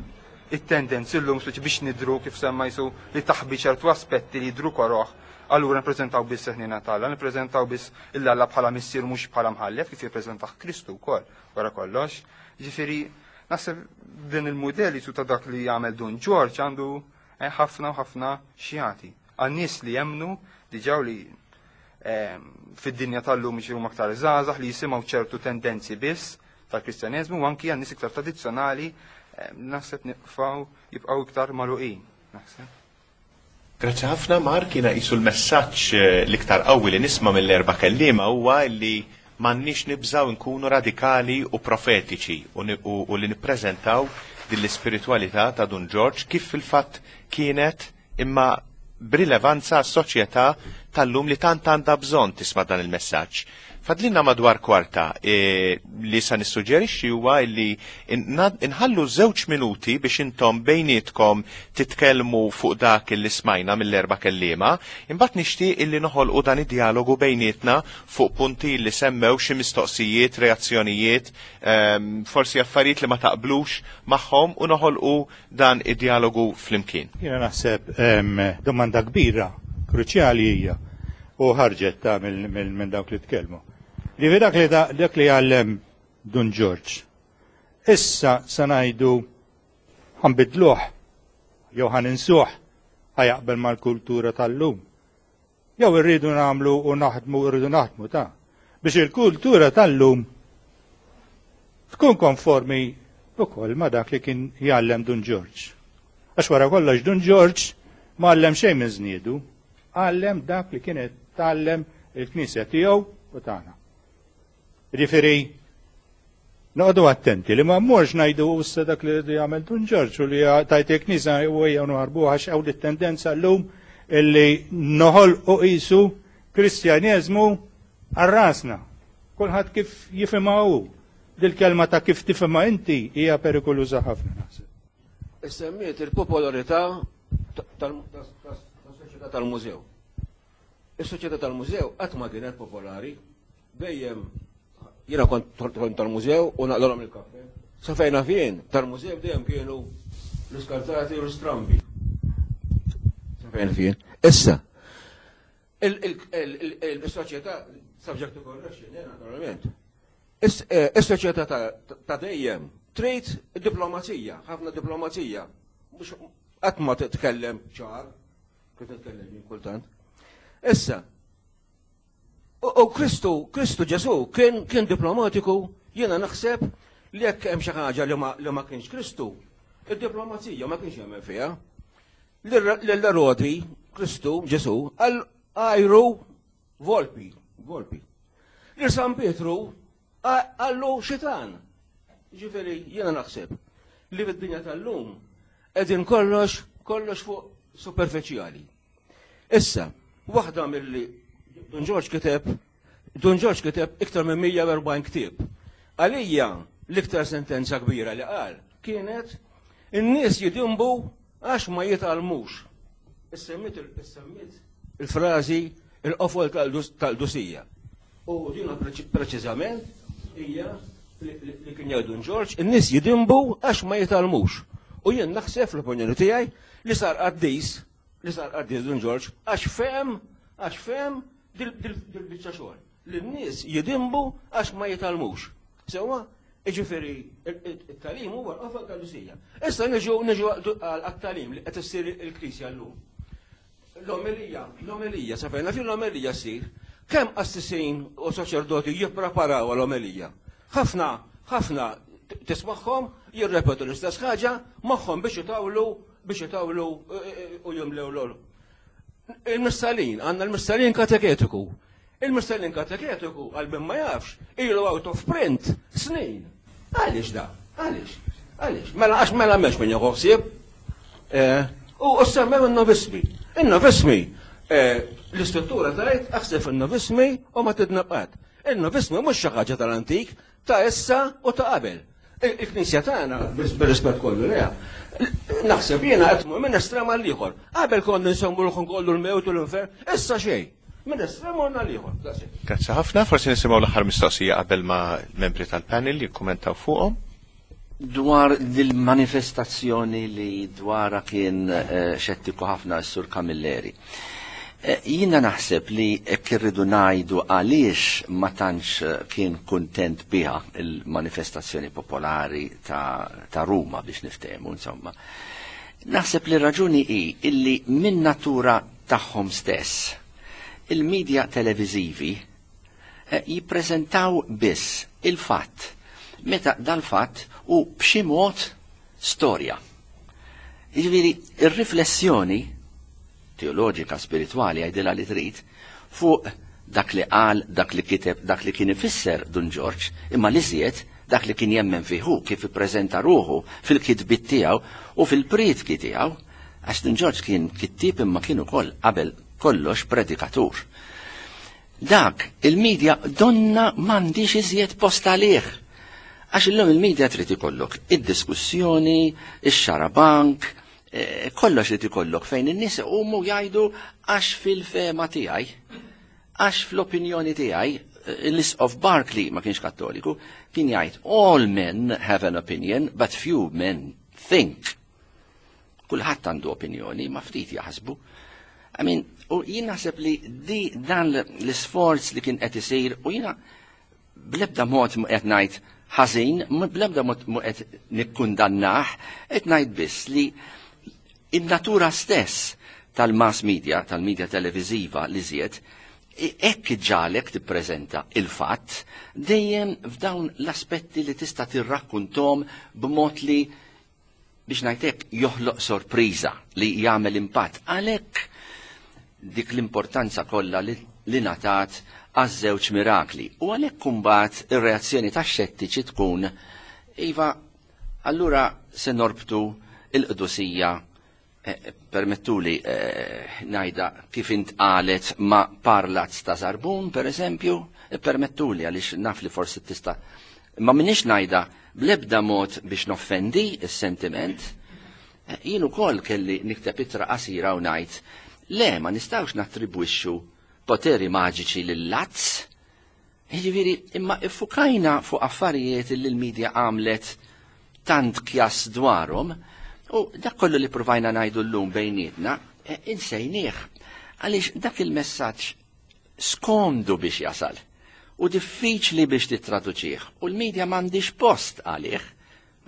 it-tendenzi llum speċi biex nidru kif semma jisu li taħbi ċertu aspetti li jidru koroħ, allura nippreżentaw biss il-ħniena t'Alla, nippreżentaw biss il-Alla bħala missier mhux bħala mħallef kif jippreżentah Kristu wkoll wara kollox. Ġifieri naħseb din il-mudell jisu ta' dak li jagħmel Dun Ġorġ għandu eh, ħafna u ħafna xjati. Għan-nies li jemmnu diġà li eh, fid-dinja tal-lum jiġu aktar żgħażagħ li jisimgħu ċertu tendenzi biss tal-Kristjaneżmu u anki għan-nies iktar tradizzjonali eh, naħseb nibqgħu jibqgħu iktar magħluqin. Naħseb. Grazzi ħafna Mark, jiena qisu l-messaġġ eh, l-iktar qawwi li nisma' mill-erba' kelliema huwa li m'għandniex nibżgħu nkunu radikali u profetiċi u, u, u li nippreżentaw din l-ispiritwalità ta' Dun Ġorġ kif fil-fatt kienet imma b'rilevanza għas-soċjetà tal-lum li tant għandha bżonn tisma' dan il-messaġġ. Fadlinna madwar kwarta e, li sa nissuġġerixxi huwa li inħallu żewġ minuti biex intom bejnietkom titkellmu fuq dak li smajna mill-erba' kelliema, imbagħad nixtieq illi noħolqu dan id-dialogu bejnietna fuq punti li semmew xi mistoqsijiet, reazzjonijiet, forsi affarijiet li ma taqblux magħhom u noħolqu dan id-dialogu flimkien. Jiena naħseb domanda kbira, kruċjali hija u ħarġet ta' minn dawk li tkellmu. Li dak li dak li għallem Dun Ġorġ. Issa sa ngħidu ħa nbiddluh jew ħa ninsuh ħa jaqbel mal-kultura tal-lum. Jew irridu nagħmlu u naħdmu irridu naħdmu ta' biex il-kultura tal-lum tkun konformi ukoll ma' dak li kien jgħallem Dun Ġorġ. Għax wara kollox Dun Ġorġ ma għallem xejn minn żniedu, għallem dak li kienet tgħallem il-Knisja tiegħu u tagħna. Ġifieri noqogħdu attenti li ma mmorx ngħidu issa dak li jagħmel Dun Ġorġ u li tajt il-Knisja u ejja noħarbuha għax hawn it-tendenza llum illi noħolqu qisu Kristjaneżmu għal rasna. Kulħadd kif jifhimha hu. Dil-kelma ta' kif tifhimha inti hija perikoluża ħafna naħseb. Issemmiet il-popolarità tas-soċjetà tal-mużew. Is-soċjetà tal-mużew qatt ma kienet popolari, dejjem jiena kont tal-mużew u naqlalhom il-kafè. Sa fejn naf jien, tal-mużew dejjem kienu l-iskartati u l-strambi. Sa fejn naf jien. Issa, il-soċjetà, subject to correction, eh, naturalment. Is-soċjetà ta' dejjem trid diplomazija, ħafna diplomazija. Mhux qatt ma titkellem ċar, kif titkellem jien kultant. Issa, u Kristu, Kristu Ġesu kien kien diplomatiku, jiena naħseb li jekk hemm xi ħaġa li ma li ma kienx Kristu, id-diplomazija ma kienx jagħmel fiha. L-Erodi, Kristu Ġesu, għal għajru volpi, volpi. Lil San Pietru. Qallu xitan. Ġifieri jiena naħseb li fid-dinja tal-lum qegħdin kollox kollox fuq superfiċjali. Issa, waħda milli Dun Ġorġ kiteb Dun Ġorġ kiteb iktar minn 140 ktieb. Għalija l-iktar sentenza kbira li qal kienet in-nies jidinbu għax ma jitgħallmux. Issemmit il-frażi il-qofol tal-qdusija. U dina preċiżament hija li kien jgħid Dun Ġorġ, in-nies jidinbu għax ma jitgħallmux. U jien naħseb fl-opinjoni tiegħi li sar qaddis, li sar qaddis Dun Ġorġ għax fehem, għax fehem dil-biċċa xogħol. Li n-nies jidinbu għax ma jitgħallmux. Sewwa, jiġifieri it-tagħlim huwa l-qofol tal-qdusija. Issa niġu niġu għat-tagħlim li qed issir il-Knisja llum. L-omelija, l-omelija, sa fejn naf jien l-omelija ssir. Kemm qassisin u saċerdoti jippreparaw għall-omelija? Ħafna, ħafna tismagħhom jirrepetu l-istess ħaġa magħhom biex itawlu, biex itawlu u jimlew l Il-missalin, għandna l-missalin kateketiku. Il-missalin kateketiku, għal min ma jafx, ilu out of print snin. Għaliex da? Għaliex? Għaliex? Mela għax mela m'hemmx min jieħu ħsieb. Eh, u semmew in-novismi. In-novismi, eh, l-istruttura tgħid aħseb in-novismi u ma tidneb qatt. Il-novismi mhux xi ħaġa tal-antik, ta' issa u ta' qabel. Il-Knisja tagħna, bir-rispett kollu leha, naħseb jiena qed tmur minn estrem għal ieħor. Qabel konna nsemmu l kollu l-mewt u l-infern, issa xejn. Minn estrem morna l-ieħor. Grazzi ħafna, forsi nisimgħu l-aħħar mistoqsija qabel ma l-membri tal-panel jikkumentaw fuqhom. Dwar dil-manifestazzjoni li dwarha kien eh, xettiku ħafna s-Sur Camilleri. Eh, jiena naħseb li hekk irridu ngħidu għaliex ma tantx eh, kien kuntent biha il-manifestazzjoni popolari ta', ta Ruma biex niftehmu insomma. Naħseb li raġuni hi illi minn natura tagħhom stess il-medja televiżivi eh, jippreżentaw biss il-fatt meta dal-fatt u b'xi mod storja. Jiġifieri ir-riflessjoni teoloġika, spiritwali, għidilha li trid, fuq dak li qal, dak li kiteb, dak li kien ifisser Dun Ġorġ, imma l-iżjed dak li kien jemmen fih hu, kif ippreżenta ruħu fil-kitbiet tiegħu u fil-prietki tiegħu, għax Dun Ġorġ kien kittieb imma kien ukoll qabel kollox predikatur. Dak il-media donna m'għandix iżjed post għalih. Għax illum il-media trid ikollok id-diskussjoni, ix-xarabank, eh, kollox li tikollok fejn in-nies iqumu jgħidu għax fil-fema tiegħi, għax fl-opinjoni tiegħi, eh, l-Isqof Barclay ma kienx kattoliku, kien jgħid all men have an opinion, but few men think. Kulħadd għandu opinjoni, ma ftit jaħsbu. I mean, u jien naħseb li di dan l-isforz li kien qed isir u jiena bl-ebda mod mu qed ngħid ħażin, bl-ebda mod mu qed nikkundannah, qed ngħid biss li in-natura stess tal-mass media, tal-media televiżiva li żied, hekk ġalek tippreżenta il-fatt dejjem f'dawn l-aspetti li tista' tirrakkuntom b'mod li biex ngħid hekk joħloq sorpriża li jagħmel impatt. Għalhekk dik l-importanza kollha li, li ngħatat għaż-żewġ mirakli. U għalhekk kumbat ir-reazzjoni tax-xettiċi tkun iva allura se norbtu il-qdusija eh, permettuli eh, ngħidha kif intqalet ma' parlazz ta' Zarbun, per eżempju, eh, permettuli għaliex naf li forsi tista' ma minix ngħidha bl-ebda mod biex noffendi s-sentiment, eh, jien ukoll kelli nikteb ittra qasira u ngħid le ma nistgħux nattribwixxu poteri maġiċi lil-lazz. Jiġifieri imma iffukajna fuq affarijiet li l-medja għamlet tant kjas dwarhom u dak kollu li provajna ngħidu llum bejnietna eh, insejnieh għaliex dak il-messaġġ skomdu biex jasal u diffiċli biex tittraduċih u l-medja m'għandix post għalih,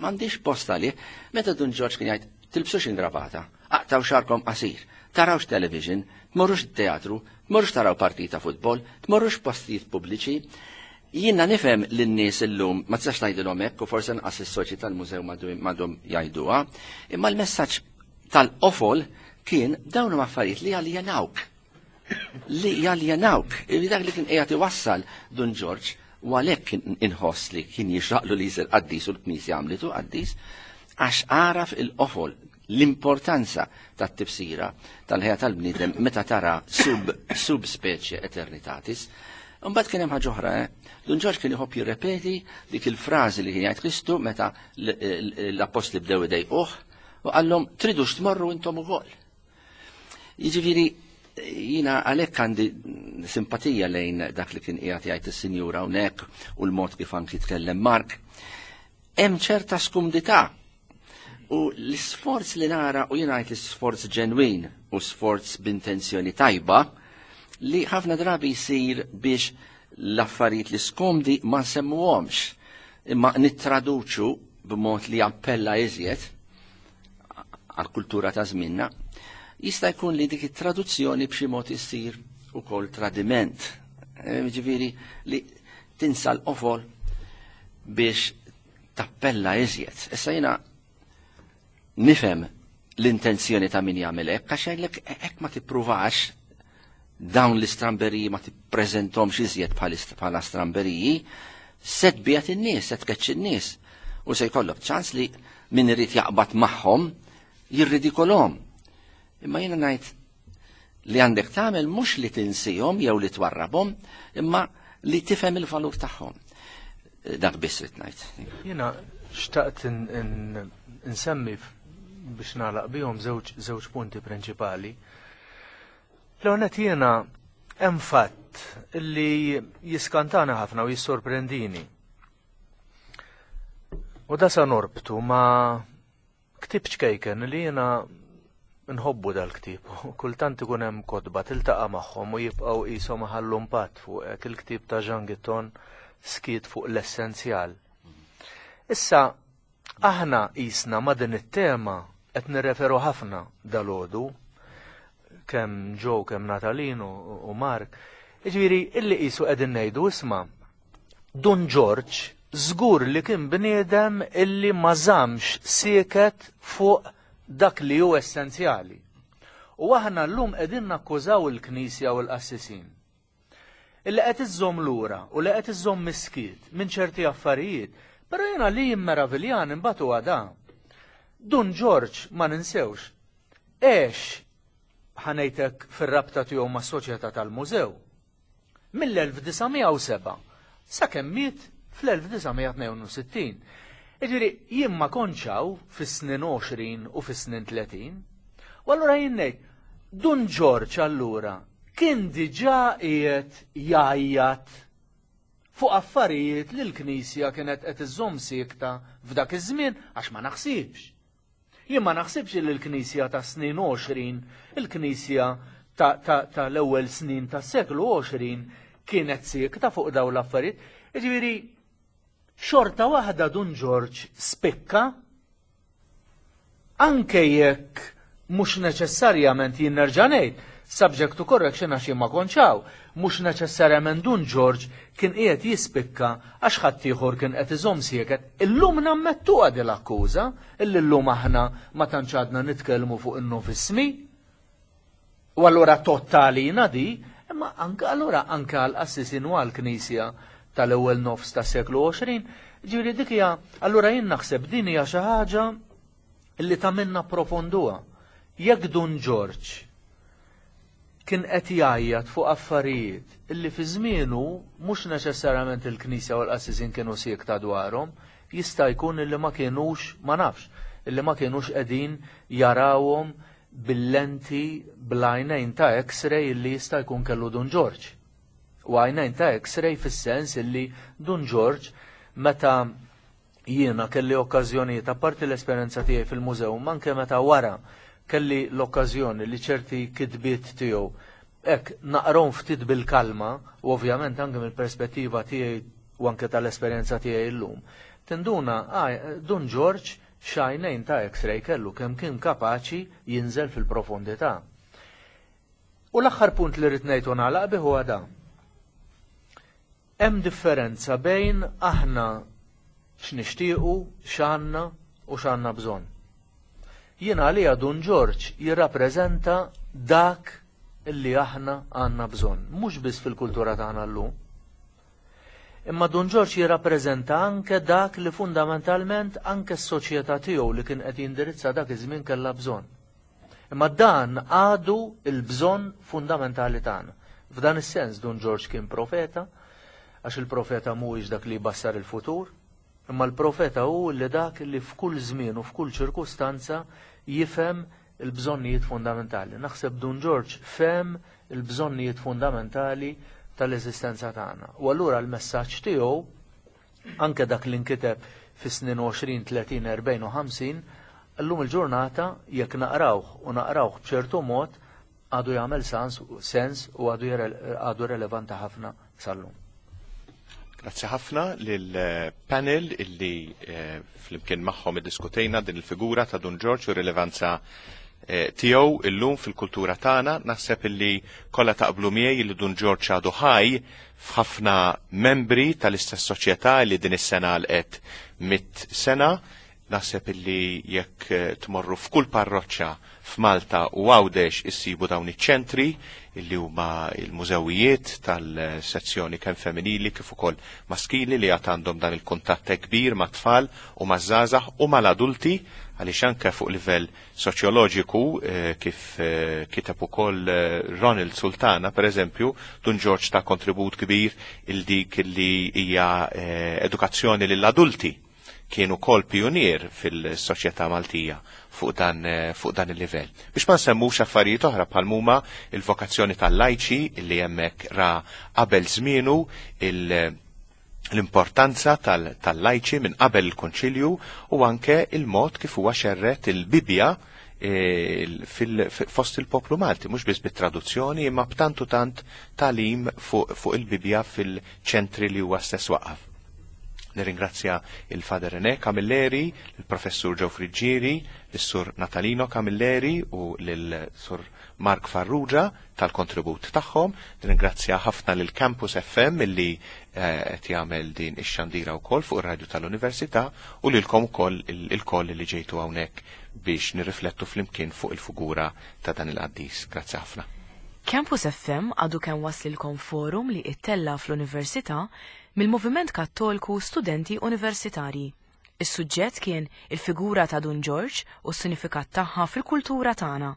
m'għandix post għalih. Meta Dun Ġorġ kien jgħid tilbsux ingravata, aqtaw xarkom qasir, tarawx television, tmorrux teatru, tmorrux taraw partita futbol, tmorrux postijiet pubbliċi. Jiena nifhem lin-nies illum ma tistax tgħidilhom hekk u forsi nqas is-soċi tal-mużew m'għadhom jgħiduha, imma l-messaġġ tal-qofol kien dawn huma affarijiet li jaljenawk. Li jaljenawk. Dak li kien qiegħed iwassal Dun Ġorġ. U għalhekk inħoss li kien jixraqlu li jsir qaddis u l-Knisja għamlitu qaddis, għax għaraf il-qofol, l-importanza tat-tifsira tal-ħajja tal-bniedem meta tara sub sub specie eternitatis. Imbagħad kien hemm ħaġa oħra, eh? Dun Ġorġ kien iħobb jirrepeti dik il-frażi li kien jgħid Kristu meta l-appostli bdew idejquh u qallhom tridux tmorru intom ukoll. Jiġifieri jiena għalhekk għandi simpatija lejn dak li kien qiegħed jgħid is-sinjura hawnhekk u l-mod kif anki tkellem Mark. Hemm ċerta skumdità u l-isforz li nara u jien ngħid l-isforz ġenwin u sforz b'intenzjoni tajba li ħafna drabi jsir biex l-affarijiet li skomdi ma nsemmuhomx imma nittraduċu b'mod li appella iżjed għall-kultura ta' żmienna, jista' jkun li dik it-traduzzjoni b'xi mod issir ukoll tradiment. Eh, ġifieri li tinsa l-qofol biex tappella iżjed. Issa jiena nifhem l-intenzjoni ta' min jagħmel hekk, għax jgħidlek hekk ma tippruvax dawn l-istramberiji ma tippreżentomx iżjed bħala stramberiji, se tbiegħed in-nies, se tkeċċi n-nies. U se jkollok ċans li min irid jaqbad magħhom jirridikolhom. Imma jiena ngħid li għandek tagħmel mhux li tinsihom jew li twarrabhom, imma li tifhem il-valur tagħhom. Dak biss rid ngħid. Jiena xtaqt insemmi biex nagħlaq bihom żewġ punti prinċipali. L-ewwel jiena hemm fatt li jiskantana ħafna u jissorprendini. U da sa norbtu ma' ktieb ċkejken li jiena nħobbu dal-ktieb. Kultant ikun hemm kotba tiltaqa' magħhom u jibqgħu qishom iħallu impatt fuqek, il-ktieb ta' Jean Guitton Skiet fuq l-essenzjal. Issa aħna qisna ma' din it-tema qed nirreferu ħafna dalgħodu, kemm Joe, kemm Natalino u Mark. Jiġifieri illi qisu qegħdin ngħidu isma' Dun Ġorġ żgur li kien bniedem illi ma żammx sieket fuq dak li hu essenzjali. U aħna llum qegħdin nakkużaw il-Knisja u l-qassisin. Illi qed iżżomm lura u li qed iżżomm miskiet minn ċerti affarijiet, però jiena li jimmeraviljani mbagħad huwa dan. Dun Ġorġ ma ninsewx, għex ħa ngħid hekk fir-rabta tiegħu mas-Soċjetà tal-Mużew mill-1907 sakemm miet fl-1962. Jiġifieri jien ma kontx hawn fis-snin 20 u fis-snin 30. U allura jien ngħid, Dun Ġorġ allura kien diġà qiegħed jgħajjat fuq affarijiet li l-Knisja kienet qed iżżomm siekta f'dak iż-żmien għax ma naħsibx. Jien ma naħsibx li l-Knisja tas-snin 20, il-Knisja tal-ewwel snin tas-seklu 20 kienet siekta fuq dawn l-affarijiet. Jiġifieri xorta waħda Dun Ġorġ spikka Anke jekk mhux neċessarjament jien nerġa' ngħid, subject to correction għax jien ma kontx hawn, mhux neċessarjament Dun Ġorġ kien qiegħed jispikka għax ħaddieħor kien qed iżomm sieket, illum nammettuha din l-akkuża, illi llum aħna ma tantx għadna nitkellmu fuq in-novismi. U allura tgħodd għalina di, imma anke allura anke għall-qassisin u għall-Knisja tal-ewwel nofs tas-seklu 20, ġifieri dik hija allura jien naħseb din hija xi ħaġa li tagħmilna approfonduha. Jekk Dun Ġorġ kien qed jgħajjat fuq affarijiet illi fi żmienu mhux neċessarjament il-Knisja u l-qassisin kienu siekta dwarhom, jista' jkun illi ma kienux, ma nafx, illi ma kienux qegħdin jarawhom bil-lenti bl-għajnejn ta' X-ray illi jista' jkun kellu Dun Ġorġ. U għajnejn ta' X-ray fis-sens illi Dun Ġorġ meta jiena kelli okkażjonijiet apparti l-esperjenza tiegħi fil-mużew, ma anke meta wara kelli l-okkażjoni li ċerti kitbiet tiegħu hekk naqrahom ftit bil-kalma u ovvjament anke mill-perspettiva tiegħi u anke tal-esperjenza tiegħi llum, tinduna ah, Dun Ġorġ X'għajnejn ta' X-ray kellu kemm kien kapaċi jinżel fil-profondità. U l-aħħar punt li rrid ngħid u nagħlaq bih huwa dan. Hemm differenza bejn aħna x'nixtiequ, x'għandna u x'għandna bżonn. Jien għalija Dun Ġorġ jirrappreżenta dak li aħna għandna bżonn, mhux biss fil-kultura tagħna llum. Imma Dun Ġorġ jirrappreżenta anke dak li fundamentalment anke s-soċjetà tiegħu li kien qed jindirizza dak iż-żmien kellha bżonn. Imma dan għadu l-bżonn fundamentali tagħna. F'dan is-sens Dun Ġorġ kien profeta, għax il-profeta mhuwiex dak li jbassar il-futur, imma l-profeta hu li dak li f'kull żmien u f'kull ċirkustanza jifhem il-bżonnijiet fundamentali. Naħseb Dun Ġorġ fehem il-bżonnijiet fundamentali tal-eżistenza tagħna. U allura l-messaġġ tiegħu anke dak li nkiteb fis-snin 20, 30, 40 u 50, llum il-ġurnata jekk naqrawh u naqrawh b'ċertu mod għadu jagħmel sens u għadu relevanti ħafna sal-lum. Grazzi ħafna lill-panel illi flimkien magħhom iddiskutejna din il-figura ta' Dun Ġorġ u rilevanza tiegħu illum fil-kultura tagħna. Naħseb illi kollha taqblu miegħi li Dun Ġorġ għadu ħaj f'ħafna membri tal-istess soċjetà li din is-sena għalqet 100 sena. Naħseb illi jekk tmorru f'kull parroċċa f'Malta u Għawdex issibu dawn iċ-ċentri illi huma il-mużewijiet tal-sezzjoni kemm femminili kif ukoll maskili li għad għandhom dan il-kuntatt kbir mat-tfal u maż-żgħażagħ u mal-adulti, għaliex anke fuq livell soċjoloġiku, kif kiteb ukoll Ronald Sultana, per eżempju, Dun Ġorġ ta kontribut kbir il dik li hija edukazzjoni lill-adulti. Kien ukoll pionier fil-soċjetà Maltija fuq dan il-livell. Biex ma nsemmux affarijiet oħra bħal huma il-vokazzjoni tal-lajċi li hemmhekk ra qabel żmienu l-importanza tal-lajċi minn qabel il-Konċilju u anke il-mod kif huwa xerret il-Bibja fost il-poplu Malti, mhux biss bit-traduzzjoni imma b'tantu tant talim fuq il-Bibja fil-ċentri li huwa stess waqaf. Nirringrazzja il-Father René Camilleri, il-Professur Joe Friggieri, il-Sur Natalino Camilleri u l-Sur Mark Farrugia tal-kontribut tagħhom. Nirringrazzja ħafna lil Campus FM illi qed jagħmel din ix-xandira wkoll fuq ir-radju tal-Università u lilkom ukoll il-koll li ġejtu hawnhekk biex nirriflettu flimkien fuq il-figura ta' dan il-qaddis. Grazzi ħafna. Campus FM għadu kemm waslilkom forum li ittella fl-Università mill-Moviment Kattolku Studenti Universitarji. Is-suġġett kien il-figura ta' Dun Ġorġ u s-sinifikat tagħha fil-kultura tagħna.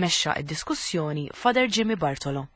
Mexxa id-diskussjoni Father Jimmy Bartolo.